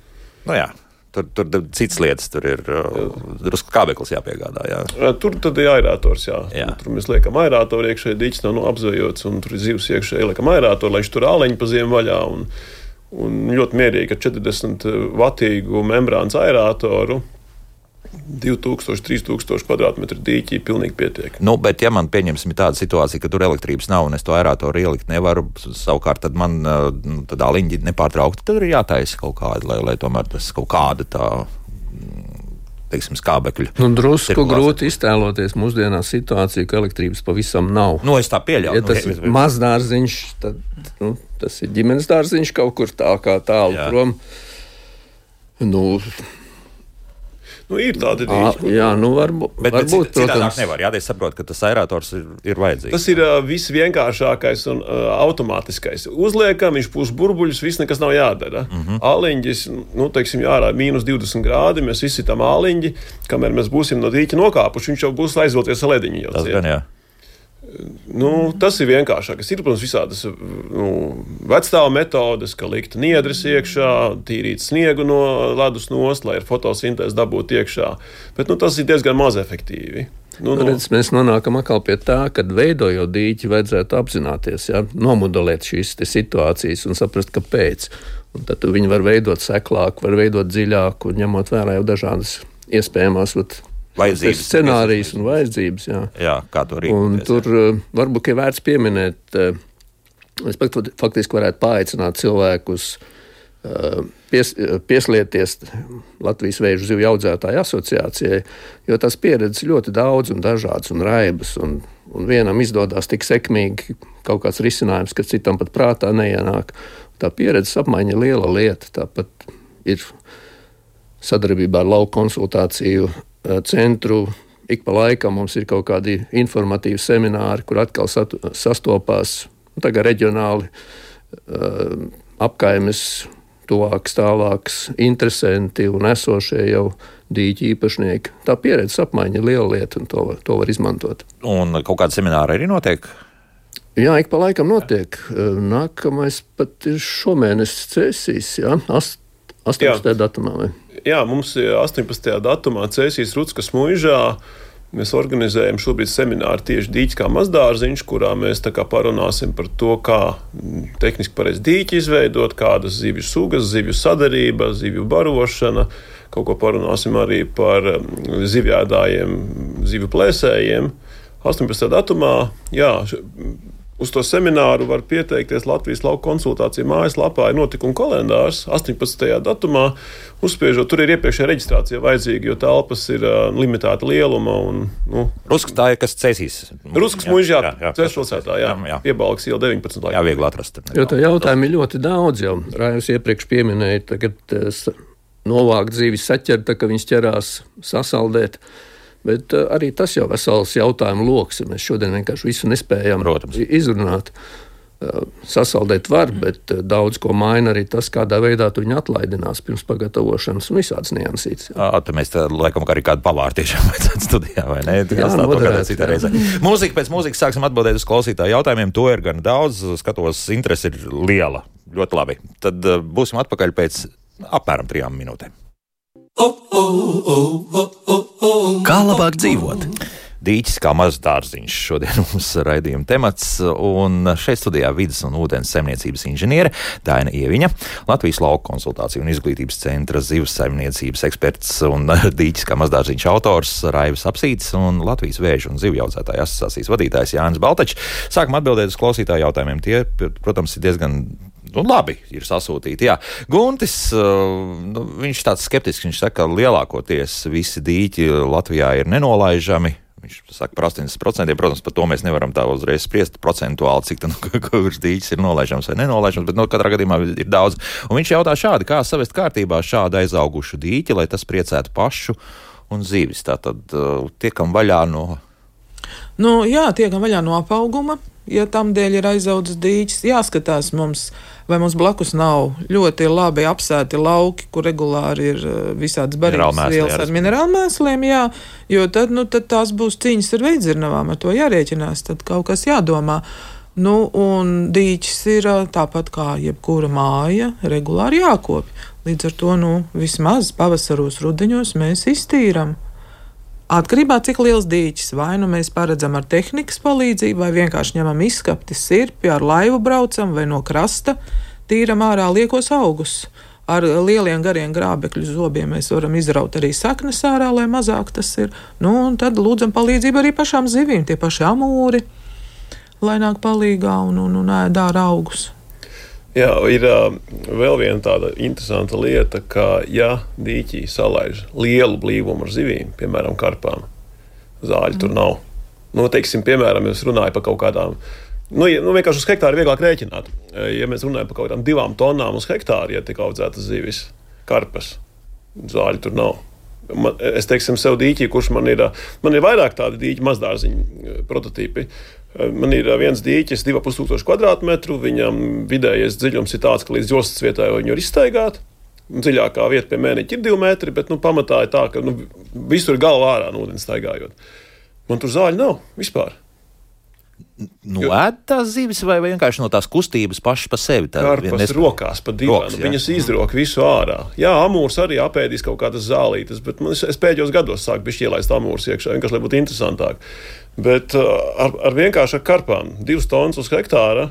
Tur citas lietas, tur ir drusku kābeklis jāpiegādā. Jā. Tur tad ir aerātors, Tur mēs liekam aerātoru iekšēji, dīķis nav apzvejots, un tur ir zivs iekšēji, liekam aerātoru, lai viņš tur āleņi pa ziemu vaļā, un ļoti mierīgi ar 40 vatīgu membrānas aerātoru 2000–3000 kvadrātmetru dīķi pilnīgi pietiek. Nu, bet ja man pieņemsim tāda situācija, ka tur elektrības nav un es to aeratoru ielikt nevaru, savukārt tad man tad aliņģi nepārtraukti, tad ir jātaisa kaut kāda, lai tomēr tas kaut kāda tā, teiksim, skābekļu. Drusku grūti iztēloties mūsdienās situāciju, ka elektrības pavisam nav. Es tā pieļauju. Ja tas ir mazdārziņš, tad tas ir ģimenes dārziņš kaut kur tā kā tālu prom. Ir tādi dīķi. Varbūt, citādāk nevar. Es saprotu, ka tas aerators ir vajadzīgs. Tas ir visvienkāršākais un automātiskais. Uzliekam, viņš pūš burbuļus, viss nekas nav jādara. Aliņģis, teiksim, ārā -20 grādi, mēs izsitam aliņģi, kamēr mēs būsim no dīķa nokāpuši, viņš jau būs aizvilcies ar lediņu. Tas gan, jā. Tas ir vienkāršākais. Ir, protams, visādas vecstāva metodes, ka likt niedres iekšā, tīrīt sniegu no ledus nost, lai ar fotosintēzi dabūtu iekšā. Bet tas ir diezgan maz efektīvi. Mēs nonākam atkal pie tā, ka veidojot dīķi vajadzētu apzināties, nomodelēt šīs situācijas un saprast, kāpēc. Un tad viņi var veidot seklāku, var veidot dziļāku, ņemot vērā jau dažādas iespējamās scenārijas un vajadzības. Jā, kā to rīkoties. Un tur varbūt ir vērts pieminēt, es faktiski varētu paaicināt cilvēkus pieslieties Latvijas Vēžu zivju audzētāju asociācijai, jo tās pieredzes ļoti daudz un dažādas un raibas, un vienam izdodas tik sekmīgi kaut kāds risinājums, ka citam pat prātā neienāk. Tā pieredzes apmaiņa ir liela lieta, tāpat ir sadarbībā ar lauku konsultāciju centru. Ik pa laikam mums ir kaut kādi informatīvi semināri, kur atkal sastopās tagad reģionāli apkaimes, tuvāks, tālāks interesanti un esošie jau dīķi īpašnieki. Tā pieredzes apmaiņa ir liela lieta un to var izmantot. Un kaut kāda semināra arī notiek? Jā, ik pa laikam notiek. Nākamais pat ir šomēnes Cēsīs, 18. datumā. Vai? Jā, mums 18. datumā Cēsīs Ruckas muižā mēs organizējam šobrīd semināru tieši dīķis kā mazdārziņš, kurā mēs parunāsim par to, kā tehniski pareizi dīķi izveidot, kādas zivju sugas, zivju sadarība, zivju barošana. Kaut ko parunāsim arī par zivjēdājiem, zivju plēsējiem. 18. datumā, uz to semināru var pieteikties Latvijas lauku konsultāciju mājaslapā, ir notikuma kalendārs 18. datumā. Uzspiežot, tur ir iepriekšējā reģistrācija vajadzīga, jo telpas ir limitēta lieluma. Ruskas tā ir, kas Cēsīs. Ruskas muižā, Cēspilsētā, Piebalgas iela 19. Jā, viegli atrast. Jo tā jautājumi ir ļoti daudz jau. Rājus iepriekš pieminēja, tagad novākt zīvis saķert, ka viņas ķerās sasaldēt. Bet arī tas jau vesels jautājumu loks. Mēs šodien vienkārši visu nespējam izrunāt. Sasaldēt var, bet daudz ko maina arī tas, kādā veidā tu viņu atlaidinās pirms pagatavošanas un visādas niansītes. Tad mēs laikam arī kādu pavāru tiešām vajadzētu studijā, vai ne? Mūzika pēc mūzikas sāksim atbildēt uz klausītāju jautājumiem. To ir gan daudz, skatos, interese ir liela. Ļoti labi. Tad būsim atpakaļ pēc apmēram 3 minūtēm. Kā labāk dzīvot? Dīķis kā mazs dārziņš šodien mums raidījuma temats, un šeit studijā vides un ūdens saimniecības inženiere Daina Ieviņa, Latvijas lauku konsultāciju un izglītības centra zivs saimniecības eksperts un dīķis kā mazs dārziņš autors Raivis Apsītis un Latvijas Vēžu un zivju audzētāju asociācijas vadītājs Jānis Baltačs. Sākam atbildēt uz klausītāju jautājumiem. Tie, protams, ir diezgan labi ir sasūtīti. Jā. Guntis, viņš tāds skeptisks, viņš saka, ka lielākoties visi dīķi Latvijā ir nenolaižami. Viņš saka par 80%, protams, par to mēs nevaram tā uzreiz spriest procentuāli, cik kurš dīķis ir nolaižams vai nenolaižams, bet katrā gadījumā ir daudz. Un viņš jautā šādi, kā savest kārtībā šādu aizaugušu dīķi, lai tas priecētu pašu un zivis. Tātad tiekam vaļā no... tiekam vaļā no apauguma. Ja tam dēļ ir aizaudzis dīķis, jāskatās mums, vai mums blakus nav ļoti labi apsēti lauki, kur regulāri ir visādas barības vielas ar minerālmēsliem, jo tad tās būs cīņas ar veidzirnavām, ar to jārēķinās, tad kaut kas jādomā. Un dīķis ir tāpat kā jebkura māja, regulāri jākopj. Līdz ar to, vismaz pavasaros, rudeņos mēs iztīram. Atkarībā cik liels dīķis, vai mēs paredzam ar tehnikas palīdzību, vai vienkārši ņemam izskapti sirpi, ar laivu braucam, vai no krasta tīram ārā liekos augus. ar lieliem gariem grābekļu zobiem mēs varam izraut arī saknes ārā, lai mazāk tas ir. Nu, un tad lūdzam palīdzību arī pašām zivīm, tie paši amūri, lai nāk palīgā un ēd ārā augus. Jā, ir vēl viena tāda interesanta lieta, ka ja dīķī salaiž lielu blīvumu ar zivīm, piemēram, karpām, zāļu tur nav. Nu, teiksim, piemēram, es runāju par kaut kādām, vienkārši uz hektāru vieglāk rēķināt. Ja mēs runājam par kaut kādām 2 tonnām uz hektāru, ja tiek audzētas zivis, karpas, zāļu tur nav. Es teiksim sev dīķī, kurš man ir vairāk tādi dīķi mazdārziņu prototīpi. Man ir viens dīķis 2500 kvadrātmetru, viņam vidējais dziļums ir tāds, ka līdz jostas vietai viņu var izstaigāt. Dziļākā vieta pie mēneķa ir 2 metri, bet pamatā ir tā, ka visur ir galva ārā no ūdens staigājot. Man tur zāļu nav vispār. Ēd tās zivis vai vienkārši no tās kustības pašas pa sevi? Karpas rokās pa divām, viņas izdrok visu ārā. Jā, amūrs arī apēdīs kaut kādas zālītes, bet es pēdējos gados sāku bišķi ielaist amūrs iekšā, vienkārši, lai būtu interesantāk. Bet ar vienkārši ar karpām 2 tonnas uz hektāra,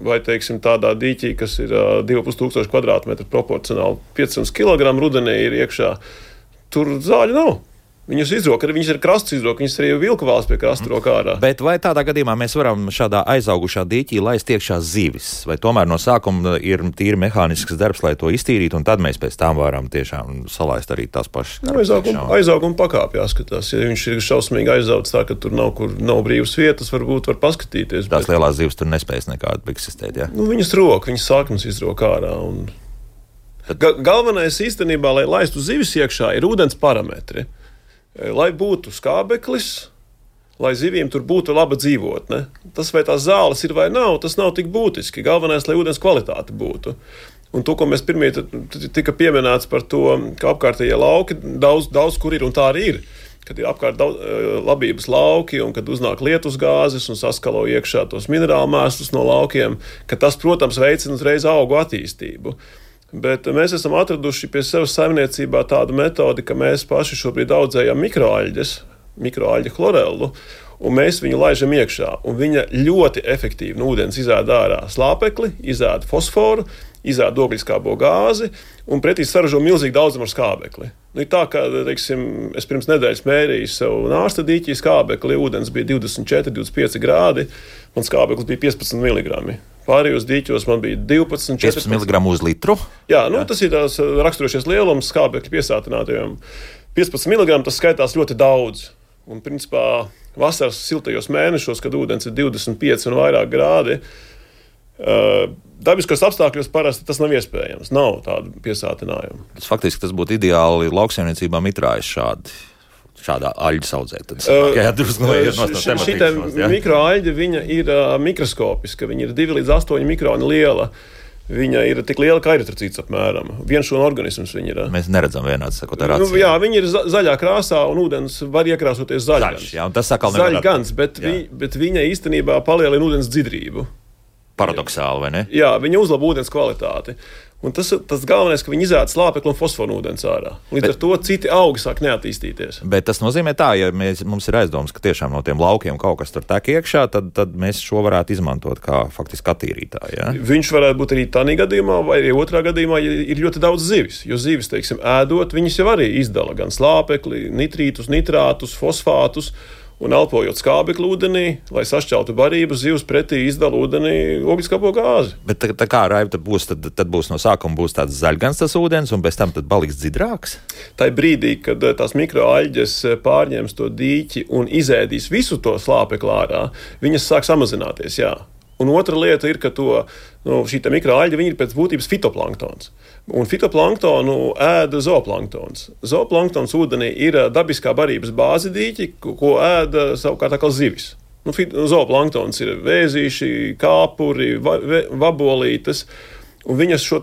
vai, teiksim, tādā dīķī, kas ir 2500 kvadrātmetru proporcionāli 500 kg rudenī ir iekšā, tur zāļu nav. Viņas izrok, viņas ir krasts izrok, viņas arī vilku valsts pie krasta rokā ārā. Bet vai tādā gadījumā mēs varam šādā aizaugušā dīķī laist iekšā zivis? Vai tomēr no sākuma ir tīri mehānisks darbs, lai to iztīrītu, un tad mēs pēc tam varam tiešām salaist arī tās pašas? Aizaugumu pakāpj jāskatās. Ja viņš ir šausmīgi aizauts tā, ka tur nav brīvas vietas, varbūt var paskatīties. Tās lielās zivis tur nespējas nekādu eksistēt, jā? Viņas rok, viņas sākums izrok ārā. Galvenais īstenībā, lai laistu zivis iekšā, ir ūdens parametri. Lai būtu skābeklis, lai zivīm tur būtu laba dzīvotne. Tas, vai tās zāles ir vai nav, tas nav tik būtiski. Galvenais, lai ūdens kvalitāte būtu. Un to, ko mēs pirmie tika pieminēts par to, ka apkārtējie lauki daudz kur ir, un tā arī ir. Kad ir apkārt labības lauki, un kad uznāk lietus gāzes un saskalo iekšā tos minerālu mēslus no laukiem, ka tas, protams, veicina uzreiz augu attīstību. Bet mēs esam atraduši pie sevis saimniecībā tādu metodi, ka mēs paši šobrīd audzējam mikroaļģu chlorellu, un mēs viņu laižam iekšā. Un viņa ļoti efektīvi no ūdens izēda ārā slāpekli, izēda fosforu, izēda ogliskābo gāzi, un pretī saražo milzīgi daudzumu ar skābekli. Ir tā, ka, teiksim, es pirms nedēļas mērīju sev nārsta dīķī skābekli, ūdens bija 24, 25 grādi, un skābeklis bija 15 mg. Pārējos dīķos man bija 12, 14 mg uz litru. Jā, tas ir tās raksturošies lielums skābekļa piesātinātajiem. 15 mg tas skaitās ļoti daudz. Un, principā, vasaras siltajos mēnešos, kad ūdens ir 25 un vairāk grādi, dabiskos apstākļos parasti tas nav iespējams. Nav tādu piesātinājumu. Faktiski tas būtu ideāli lauksaimniecībā mitrājas šādā aļģa audzēt. Šī mikroaļģa, viņa ir mikroskopiska, viņa ir 2 līdz 8 mikroni liela. Viņa ir tik liela, kā eritrocīts apmēram. Vienšūnu organisms viņa ir. Mēs neredzam vienāds, sakot, ar acīm. Jā, viņa ir zaļā krāsā, un ūdens var iekrāsoties zaļgans. Jā, un tas sakal zaļgans, bet viņa īstenībā palielina ūdens dzidrību. Paradoxāli, vai ne? Jā, viņa uzlabo ūdens kvalitāti. Un tas galvenais, ka viņi izēda slāpekli un fosforu ūdens ārā. Līdz ar to citi augi sāk neattīstīties. Bet tas nozīmē tā, ja mums ir aizdoms, ka tiešām no tiem laukiem kaut kas tur tek iekšā, tad mēs šo varētu izmantot kā faktiski attīrītāju. Ja? Viņš varētu būt arī tādā gadījumā, vai arī otrā gadījumā, ja ir ļoti daudz zivis. Jo zivis, teiksim, ēdot, viņas jau arī izdala gan slāpekli, nitrītus, nitrātus, fosfātus. Un elpojot skābekli ūdenī, lai sašķeltu barību, zivs pretī izdala ūdenī ogliskābo gāzi. Bet tā kā Raiva tad būs no sākuma būs tāds zaļgans tas ūdens, un pēc tam tad paliks dzidrāks? Tā brīdī, kad tās mikroaļģes pārņems to dīķi un izēdīs visu to slāpekli ārā, viņas sāk samazināties, jā. Un otra lieta ir, ka šī mikroaļģa ir pēc būtības fitoplanktons. Un fitoplanktonu ēda zooplanktons. Zooplanktons ūdenī ir dabiskā barības bāzi dīķi, ko ēda savukārt atkal zivis. Zooplanktons ir vēzīši, kāpuri, vabolītes, un viņas šo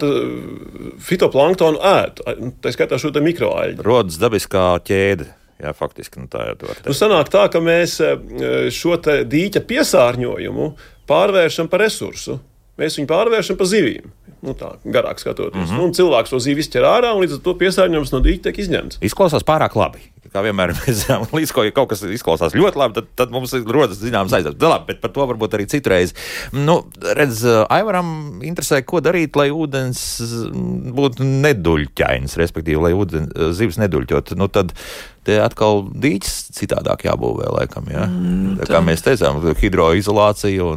fitoplanktonu ēd. Tā skaitā šo mikroaļģu. Rodas dabiskā ķēde. Jā, faktiski, tā jau to var teikt. Sanāk tā, ka mēs šo dīķa piesārņojumu pārvēršam par resursu. Mēs viņu pārvēršam par zivīm. Tā, garāk skatoties. Un cilvēks to zivi izķer ārā, un līdz ar to piesārņojums no dīķa tiek izņemts. Izklausās pārāk labi. kā vienmēr mēs zinām, līdz ko, ja kaut kas izklausās ļoti labi, tad mums rodas zināmas aizdomas. Labi, bet par to varbūt arī citreiz. Nu, redz, Aivaram interesē, ko darīt, lai ūdens būtu neduļķains, respektīvi, lai zivs neduļķot. Nu, tad te atkal dīķis citādāk jābūvē, laikam, jā. Kā mēs teicām, hidroizolācija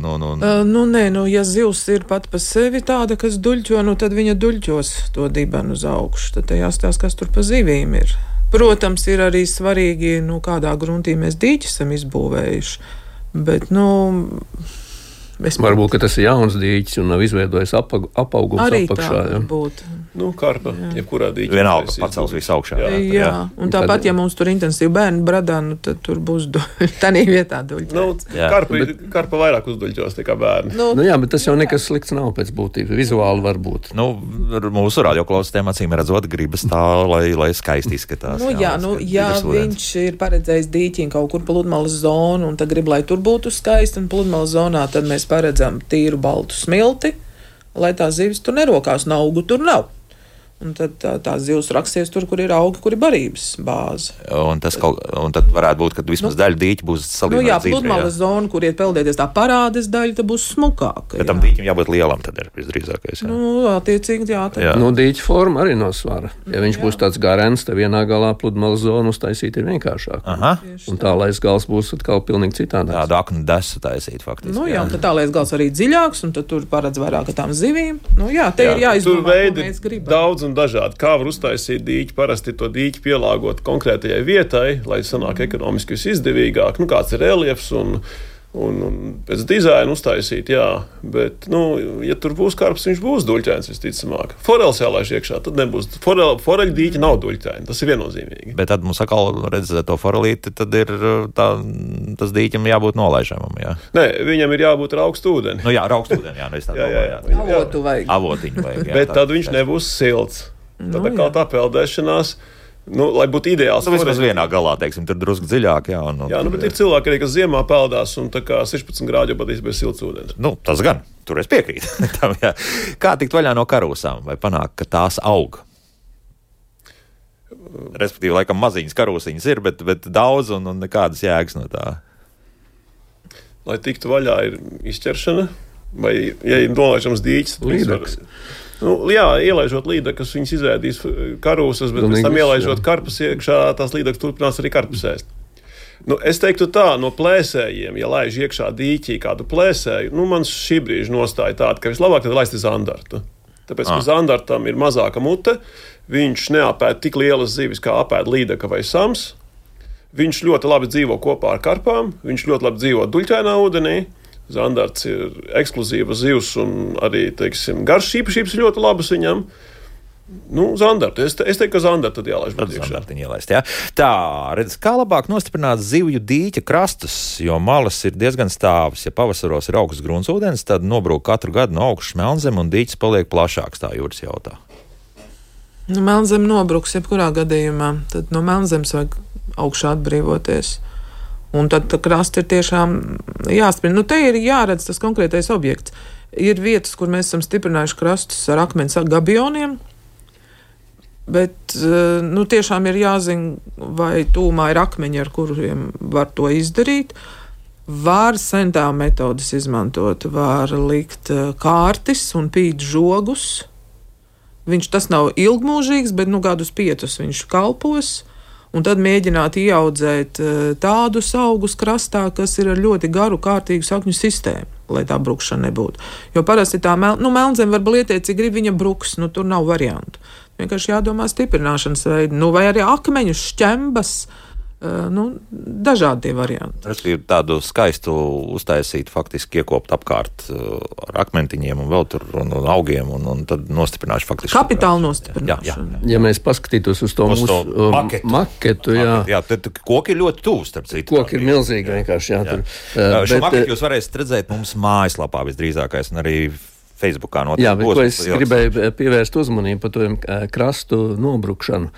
ja zivs ir pat pa sevi tāda, kas duļķo, tad viņa duļķos to dibenu uz augšu. Tad jāstāsta, kas tur pa zivīm ir. Protams, ir arī svarīgi, kādā gruntī mēs dīķi esam izbūvējuši, bet, Varbūt, ka tas ir jauns dīķis un nav izveidojis apaugums arī apakšā. Arī tā var būt. Karpa, jebkurā dīķī. Vienalga pacels visu augšā. Jā. Un tāpat, ja mums tur intensīvi bērni bradā, tad tur būs tādā vietā duļķēts. Karpa vairāk uzduļķos nekā bērni. Bet tas jau nekas slikts nav pēc būtības. Vizuāli var būt. Mūsu radioklausītājiem acīm redzot gribas tā, lai skaisti izskatās. Ja viņš ir paredzējis dīķi kaut kur pludmales zonu un tad grib, lai tur būtu skaisti un pludmales zonā, tad mēs paredzam tīru baltu smilti, lai tās zivis tur nerokās, un augu tur nav. Un tad tās zivs raksties tur, kur ir augi, kur ir barības bāze. Un tad varētu būt, ka vismaz daļa dīķa būs salīdzināta dzīvē. Pludmales zona, kur iet peldēties tā parādes daļa, tad būs smukāka. Bet tam dīķim jābūt lielam, tad ir visdrīzākais. Attiecīgi, jā. Dīķa forma arī no svara. Ja viņš būs tāds garens, tad vienā galā pludmales zonu uztaisīt ir vienkāršāk. Un tālais gals būs atkal pilnīgi citādāks. Tādu aknu desu taisīt faktiski. Tad tālais gals arī dziļāks, un tad tur paredz vairāk tām zivīm. Te ir jāizdomā, ko mēs gribam. Daudz un dažādi. Kā var uztaisīt dīķi? Parasti to dīķi pielāgot konkrētajai vietai, lai sanāk ekonomiski visizdevīgāk. Kāds ir reliefs un pēc dizaina uztaisīt, jā. Bet, ja tur būs karps, viņš būs duļķains visticamāk. Forels jālaiž iekšā, tad nebūs. Foreļu dīķi nav duļķaini, tas ir viennozīmīgi. Bet tad mums atkal redzēt to forelīti, tad ir tas dīķim jābūt nolaižamam, jā. Nē, viņam ir jābūt ar augstu ūdeni. Ar augstu ūdeni, jā. Avotu vajag. Avotiņu vajag, jā. Bet tad viņš nebūs silts. Tad kā tā peldēšanās, lai būtu ideāls. Vismaz vienā galā, teiksim, tur drusku dziļāk, jā. Bet ir cilvēki arī, kas ziemā peldās un tā kā 16 grādu jau patīs bez silts ūdens. Tas gan, tur es piekrītu. Kā tikt vaļā no karūsām vai panākt, ka tās aug? Respektīvi, laikam maziņas karūsiņas ir, bet daudz un nekādas jēgas no tā. Lai tiktu vaļā ir izķeršana vai, ja ir nolaižams dīķis, līdaks. Ielaižot līdakas, viņas izēdīs karūsas, bet pēc tam ielaižot karpas iekšā, tās līdakas turpinās arī karpas ēst. Es teiktu tā, no plēsējiem, ja laiž iekšā dīķī kādu plēsēju, mans šī brīža nostāja tāda, ka vislabāk tad laist zandartu. Tāpēc, ka zandartam ir mazāka mute, viņš neapēd tik lielas zivis, kā apēd līdaka vai sams. Viņš ļoti labi dzīvo kopā ar karpām, viņš ļoti labi dzīvo duļķainā ūdenī. Zandarts ir ekskluzīva zivs un arī, garšas īpašības ļoti labas viņam. Zandartu. Es teiktu, ka zandartu tad jālaiž būtu iekšā. Zandartiņu ielaist, jā. Tā, redz, kā labāk nostiprināt zivju dīķa krastus, jo malas ir diezgan stāvas. Ja pavasaros ir augsts gruntsūdens, tad nobrūk katru gadu no augšas melnzeme un dīķis paliek plašāks, tā Jūras jautā. Melnzeme nobruks jebkurā gadījumā, tad no melnzemes vajag augšā atbrīvoties. Un tad krasti ir tiešām jāsprina. Te ir jāredz tas konkrētais objekts. Ir vietas, kur mēs esam stiprinājuši krastus ar akmens gabioniem, bet tiešām ir jāzina, vai tūmā ir akmeņi, ar kuriem var to izdarīt. Var sentāvu metodas izmantot, var likt kārtis un pīt žogus. Tas nav ilgmūžīgs, bet gadus 5 viņš kalpos. Un tad mēģināt ieaudzēt tādus augus krastā, kas ir ar ļoti garu, kārtīgu sakņu sistēmu, lai tā brukšana nebūtu. Jo parasti tā melnzeme var blietēt, cik grib viņa bruks, tur nav variantu. Vienkārši jādomā stiprināšanas veidu, vai arī akmeņus, šķembas, dažādi varianti. Tas ir tādu skaistu uztaisīt, faktiski iekopt apkārt ar akmentiņiem un vēl tur un augiem un tad nostiprināšu faktiski. Kapitāli nostiprināšanu. Ja mēs paskatītos uz to mūsu maketu, jā. Tad koki ir ļoti tuvu, starp citu. Koki ir milzīgi vienkārši, jā. Šo maketu jūs varēsiet redzēt mums mājaslapā visdrīzākais un arī Facebookā notiek. Jā, bet ko es gribēju pievērst uzmanību par to krastu nobrukšanu.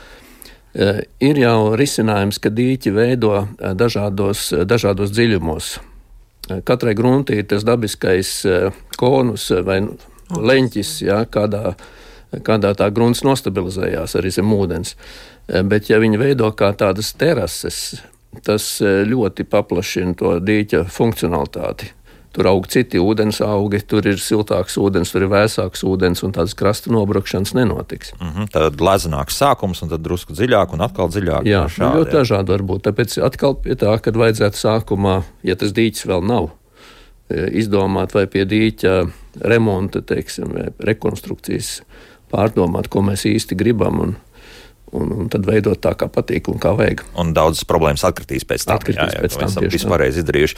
Ir jau risinājums, ka dīķi veido dažādos dziļumos. Katrai gruntī ir tas dabiskais konus vai leņķis, kādā kādā tā grunts nostabilizējās arī zem ūdens. Bet ja viņi veido kā tādas terases, tas ļoti paplašina to dīķa funkcionalitāti. Tur aug citi ūdens augi, tur ir siltāks ūdens, tur ir vēsāks ūdens, un tādas krasta nobrukšanas nenotiks. Tad lezenāks sākums, un tad drusku dziļāk, un atkal dziļāk. Jā, ļoti dažādi var būt. Tāpēc atkal pie tā, kad vajadzētu sākumā, ja tas dīķis vēl nav, izdomāt vai pie dīķa remonta, teiksim, vai rekonstrukcijas pārdomāt, ko mēs īsti gribam, un tad veidot tā, kā patīk un kā vajag. Un daudzas problēmas atkritīs pēc tam. Esam vispārreiz izdarījuši.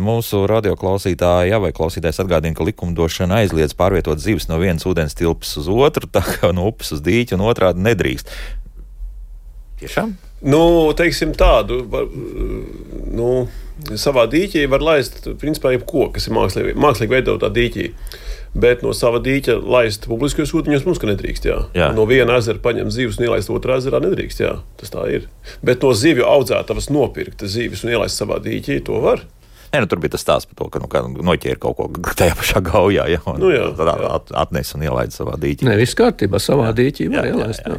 Mūsu radioklausītāji vai klausītājs atgādina, ka likumdošana aizliedz pārvietot zivis no vienas ūdens tilpes uz otru, tā kā no upes uz dīķi un otrādi nedrīkst. Tiešām? Teiksim tādu, savā dīķī var laist, principā, jebko, kas ir mākslīgi veidotā dīķī. Bet no sava dīķa laist publiskajos ūdeņos mums nedrīkst. Jā. No viena ezera paņemt zivis un ielaist otrā ezerā nedrīkst. Jā. Tas tā ir. Bet no zivju audzētavas nopirkt zivis un ielaist savā dīķī, to var. Tur bija tas stāsts par to, ka noķēra kaut ko tajā pašā gaujā, tad atnes un ielaid savā dīķī. Viss kārtībā, savā dīķī var ielaist. Jā.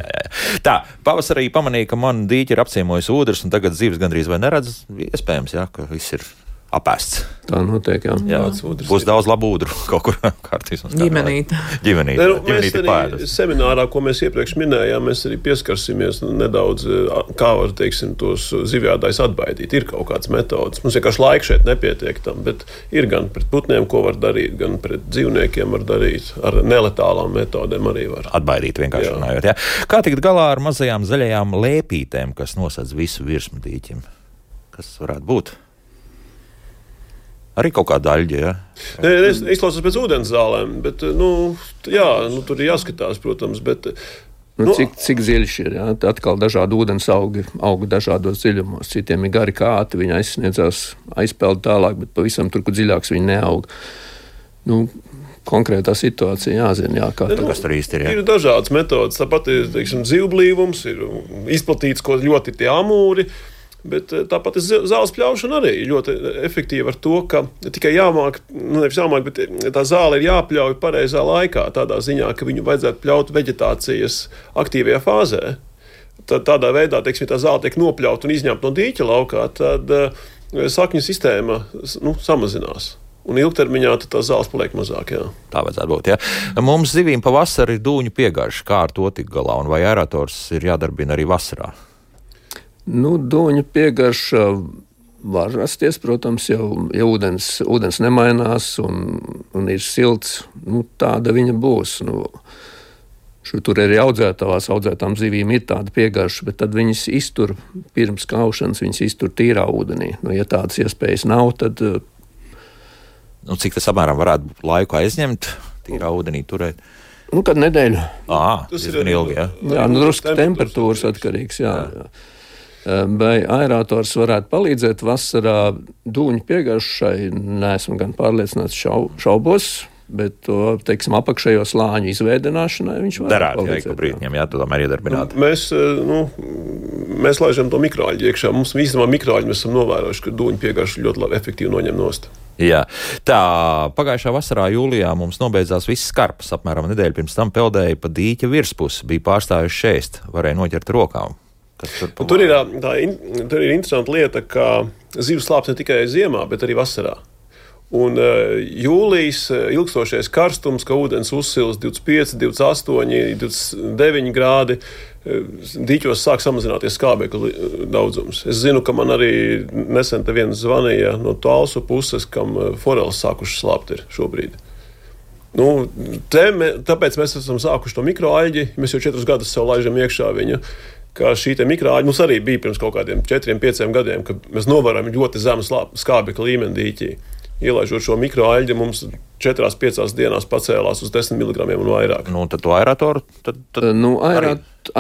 Tā, pavasarī pamanīja, ka man dīķi ir apciemojis ūdens, un tagad zivis gandrīz vai neredz. Iespējams, ka viss ir apēsts. Tā notiek, jā. Būs daudz labu ūdru kaut kur kārtīs. Ģimenīte ir pēdas. Seminārā, ko mēs iepriekš minējām, mēs arī pieskarsimies nedaudz, kā var, teiksim, tos zivjādājus atbaidīt. Ir kaut kāds metodas. Mums vienkārši laika šeit nepietiek tam, bet ir gan pret putniem, ko var darīt, gan pret dzīvniekiem var darīt. Ar neletālām metodēm arī var. Atbaidīt vienkārši runājot, jā. Kā tikt galā ar mazajām zaļajām lēpītēm, kas nosedz visu virsmu dīķim? Kas varētu būt? Arī kaut kāda daļa, jā? Es izklausos pēc ūdens zālēm, bet, tur ir jāskatās, protams, bet... Cik dziļš ir, jā? Atkal dažādi ūdens augi aug dažādos dziļumos. Citiem ir gari kāti, viņi aizpeld tālāk, bet pavisam tur, kur dziļāks viņi neaug. Konkrētā situācija jāzina, kas tur īsti ir. Ir dažādas metodas, tāpat ir, teiksim, zivblīvums, ir izplatīts, ko ļoti tie amūri. Bet tāpat zāles pļaušana arī ļoti efektīva ar to, ka tikai bet tā zāle ir jāpļauj pareizā laikā, tādā ziņā, ka viņu vajadzētu pļaut veģetācijas aktīvajā fāzē. Tad tādā veidā, teiksim, tā zāle tiek nopļauta un izņemta no dīķa laukā, tad sakņu sistēma samazinās. Un ilgtermiņā tā zāles paliek mazāk. Jā. Tā vajadzētu būt. Jā. Mums zivīm pavasarī ir dūņu piegarša. Kā ar to tik galā? Un vai aerators ir jādarbina arī vasarā? Dūņu piegarša var rasties, protams, ja ūdens nemainās un ir silts, tāda viņa būs. Tur arī audzētām zivīm ir tāda piegarša, bet tad viņas iztur pirms kaušanas, viņas iztur tīrā ūdenī. Ja tādas iespējas nav, tad... Cik tas apmēram varētu laiku aizņemt, tīrā ūdenī turēt? Kad nedēļu. Tas ir ilgi, jā? Jā, drusku temperatūras atkarīgs, jā. Vai aerators varētu palīdzēt vasarā dūņu piegaršai? Neesmu gan pārliecināts šaubos, bet to, teiksim, apakšējo slāņu izveidināšanai viņš varētu palīdzēt. Brītņiem, to tomēr iedarbināt. Mēs laižam to mikroaļģi iekšā. Mums īstenībā mikroaļģi mēs esam novērojuši, ka dūņu piegaršu ļoti labi efektīvi noņem nost. Jā. Tā, pagājušā vasarā jūlijā mums nobeidzās viss karpas. Apmēram nedēļu pirms tam peldēja pa dīķa virspusi, bija pārstājuši šēst, varēja noķert rokām. Tur ir interesanta lieta, ka zivs slāpst ne tikai ziemā, bet arī vasarā. Un jūlijas ilgstošais karstums, ka ūdens uzsils 25, 28, 29 grādi, dīķos sāk samazināties skābekļa daudzums. Es zinu, ka man arī nesen te viens zvanīja no Talsu puses, kam foreles sākuši slāpt ir šobrīd. Tāpēc mēs esam sākuši to mikroaļģi, mēs jau 4 gadus sev laižam iekšā viņu. Ka šī mikroaļģa mums arī bija pirms kaut kādiem 4-5 gadiem, kad mēs novērojam ļoti zemu skābekļa līmeni dīķī. Ielaižot šo mikroaļģi, mums 4-5 dienās pacēlās uz 10 mg un vairāk. Tad to aeratoru?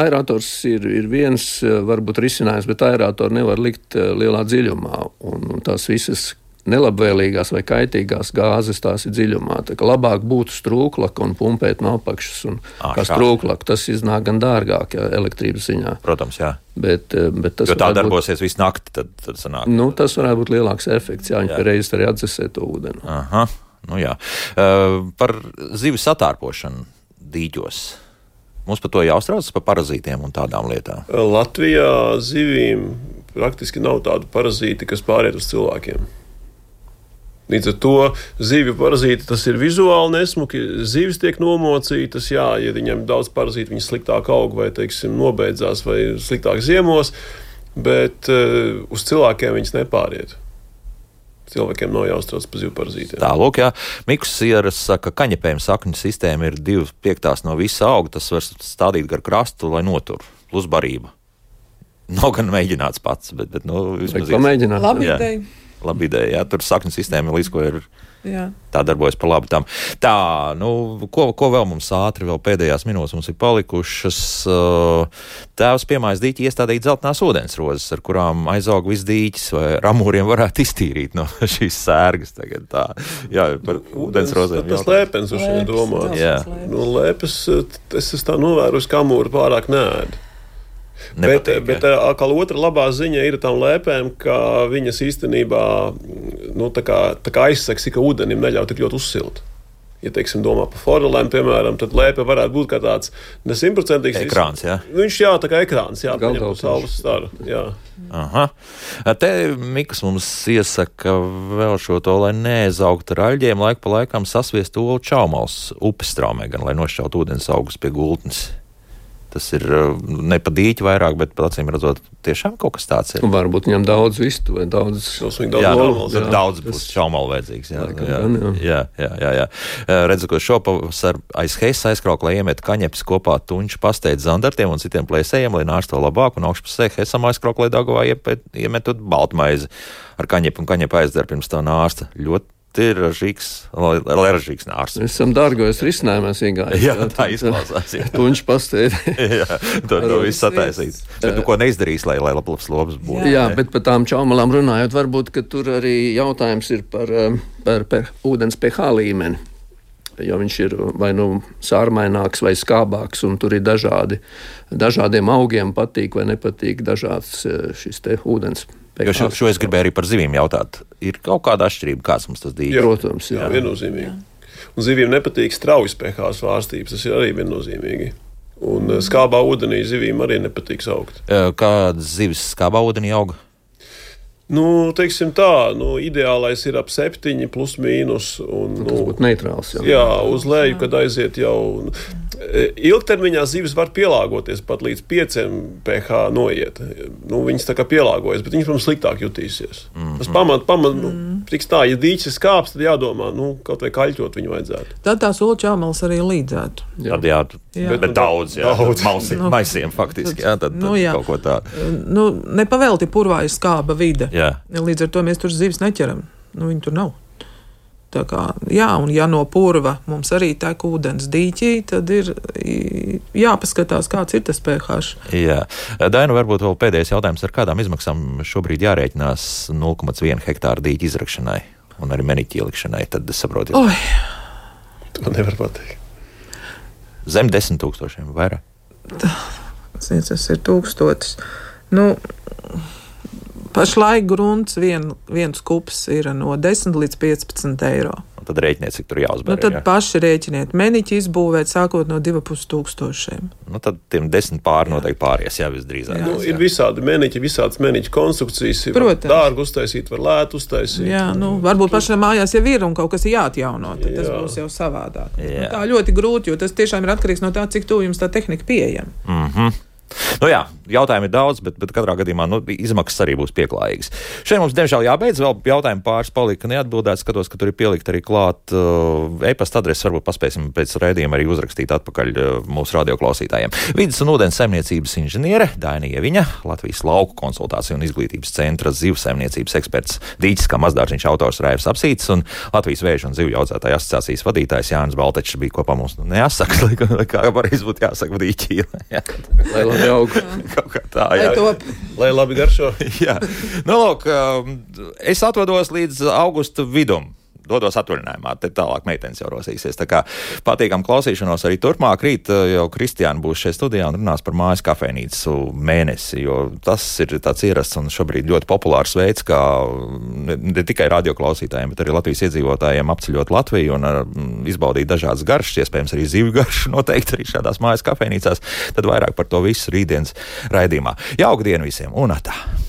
Aerators ir viens, varbūt risinājums, bet aeratoru nevar likt lielā dziļumā. Un tās visas nelabvēlīgās vai kaitīgās gāzes tās ir dziļumā. Tā kā labāk būtu strūklaka un pumpēt no apakšas. Kā strūklaka, tas iznāk gan dārgāk, elektrības ziņā. Protams, jā. Bet tas jo tā darbosies visu nakti, tad sanāk. Tas varētu būt lielāks efekts, jā, viņi pēreiz arī atdzesē to ūdeni. Jā. Par zivis satārpošanu dīķos. Mums par to jāuztraucas par parazītiem un tādām lietām. Latvijā zivīm praktiski nav tādu parazīti, kas pāriet uz cilvēkiem. Līdz ar to zivju parazīti tas ir vizuāli nesmuki. Zivis tiek nomocītas, jā, ja viņam daudz parazītu, viņas sliktāk aug vai, teiksim, nobeidzās vai sliktāk ziemos, bet uz cilvēkiem viņas nepāriet. Cilvēkiem nav jāuztrauc par zivju parazītiem. Tā, lūk, jā. Mikus Sieras saka, ka kaņepējuma sakņu sistēma ir 2/5 no visa auga, tas var stādīt gar krastu, lai notur, plus barība. Nav gan mēģināts pats, bet vismaz pamēģināt. Labi ideja. Labi ideja, jā, tur sakņu sistēma līdz ko ir Jā. tā darbojas par labu tam. Tā, ko vēl mums ātri, vēl pēdējās minūtes mums ir palikušas. Tēvs piemājas dīķi iestādīt dzeltenās ūdensrozes, ar kurām aizaug viss dīķis vai ramūriem varētu iztīrīt no šīs sērgas tagad tā. Jā, par ūdensrozēm. Tas lēpens uz šeit domā. Jā. Lēpes, es tā novēru, ka amūri pārāk neēd. Nepatīk, bet atkal otra labā ziņa ir tām lēpēm, ka viņas īstenībā tā kā aizsaks, ka ūdenim neļauj tik ļoti uzsilt. Ja, teiksim, domā par forelēm, piemēram, tad lēpe varētu būt kā tāds nesimtprocentīgs ekrāns, jā? Viņš, jā, tā kā ekrāns, jā, paņem saules staru, jā. Aha. Te Mikas mums iesaka vēl šo to, lai neaizaugtu ar aļģiem, laiku pa laikam sasviest olu čaumals upes straumē, gan lai nošķaut ūdens augus pie gultnes. Tas ir ne pa dīķi vairāk, bet acīm redzot, tiešām kaut kas tāds ir. Varbūt viņam daudz vistu vai daudz. Daudz būs čaumalu vajadzīgs. Jā. Redzu, ko šopavasar aiz Hesa aizkrauklē iemet kaņepes kopā tuņšu pasteidz zandartiem un citiem plēsējiem, lai nārsto labāk, un augšpusē Hesam aizkrauklē Daugavā iemetot baltmaizi ar kaņepu un kaņepu aizdara pirms tā nārsta. Ļoti ir ražīgs nārs. Mēs esam dārgojos risinājumās iegājuši. Jā, tā izklausās. Tuņš pasteidi. Jā, to viss sataisīts. Bet ko neizdarīs, lai labs lobs būtu? Jā, bet par tām čaumalām runājot, varbūt, ka tur arī jautājums ir par ūdens pH līmeni. Jo viņš ir vai sārmaināks vai skābāks, un tur ir dažādiem augiem patīk vai nepatīk dažāds šis te ūdens. Jo šo es gribēju arī par zivīm jautāt. Ir kaut kāda atšķirība, kāds mums tas dīķis? Protams, jā. Viennozīmīgi. Un zivīm nepatīk straujas pH svārstības, tas ir arī viennozīmīgi. Un skābā ūdenī zivīm arī nepatīk augt. Kādas zivis skābā ūdenī auga? Teiksim tā, ideālais ir ap 7 plus mīnus. Tas būtu neitrāls. Jā, uz leju, kad aiziet jau. Ilgtermiņā zivis var pielāgoties pat līdz 5 pH noiet. Viņas tā kā pielāgojas, bet viņas, protams, sliktāk jutīsies. Tas tiks tā, ja dīķis ir skāps, tad jādomā, kaut vai kaļķot viņu vajadzētu. Tad tās olu čaumalas arī līdzētu. Bet daudz. Maisiem faktiski, jā, tad kaut ko tādu. Nepavēlti purvā ir skāba vide. Jā. Līdz ar to mēs tur zivis neķeram. Viņi tur nav. Tā kā, jā, un ja no purva mums arī tek ūdens dīķī, tad ir jāpaskatās, kāds ir tas pH. Jā. Daina, varbūt vēl pēdējais jautājums, ar kādām izmaksām šobrīd jārēķinās 0,1 hektāra dīķa izrakšanai un arī meniķi ielikšanai, tad es saprotu. To nevar pateikt. Zem 10 000 vairāk? Tas ir 1000. Pašlaik grunts viens kups ir no 10 līdz 15 eiro. Un tad rēķiniet, cik tur jāuzbēr. Tad paši rēķiniet. Meniķi izbūvēt sākot no 2500. Tad tiem 10 pāri noteikti pāries, jā, visdrīzāk. Ir visādi meniķi, visādas meniķu konstrukcijas. Protams. Dārgi uztaisīt, var lētu uztaisīt. Jā, varbūt pašam mājās jau ir un kaut kas ir jāatjauno. Tad tas būs jau savādāk. Tā ļoti grūti, jo tas tiešām ir atkarīgs no tā, cik tuvu jums tā tehnika pieejama. Jā, jautājumi ir daudz, bet katrā gadījumā izmaksas arī būs pieklājīgas. Šeit mums, diemžēl, jābeidz. Vēl jautājumi pāris palika neatbildēti. Skatos, ka tur ir pielikt arī klāt e-pasta adresi. Varbūt paspēsim pēc raidījuma arī uzrakstīt atpakaļ mūsu radioklausītājiem. Vides un ūdens saimniecības inženiere Daina Ieviņa, Latvijas lauku konsultāciju un izglītības centra zivsaimniecības eksperts dīķis kā mazdārziņš autors Raivs Apsītis un Latvijas vēžu un zivju audzētāju asociācijas vadītājs Jānis Baltečs bija kopā mums. Nejāsaka, kā varēs būt jāsaka dīķī. Kaut kā tā, jā. Lai labi garšo. Jā. Lūk, es atvados līdz augusta vidum. dodos atvaļinājumā, te tālāk meitenes jau rosīsies. Tā kā patīkam klausīšanos arī turpmāk. Rīt jau Kristiāna būs šeit studijā un runās par mājas kafejnīcu mēnesi, jo tas ir tāds ierasts un šobrīd ļoti populārs veids, kā ne tikai radioklausītājiem, bet arī Latvijas iedzīvotājiem apceļot Latviju un izbaudīt dažādas garšas, iespējams arī zivju garšu noteikti arī šādās mājas kafejnīcās. Tad vairāk par to visu rītdienas raidījumā. Jauku dienu visiem un atā!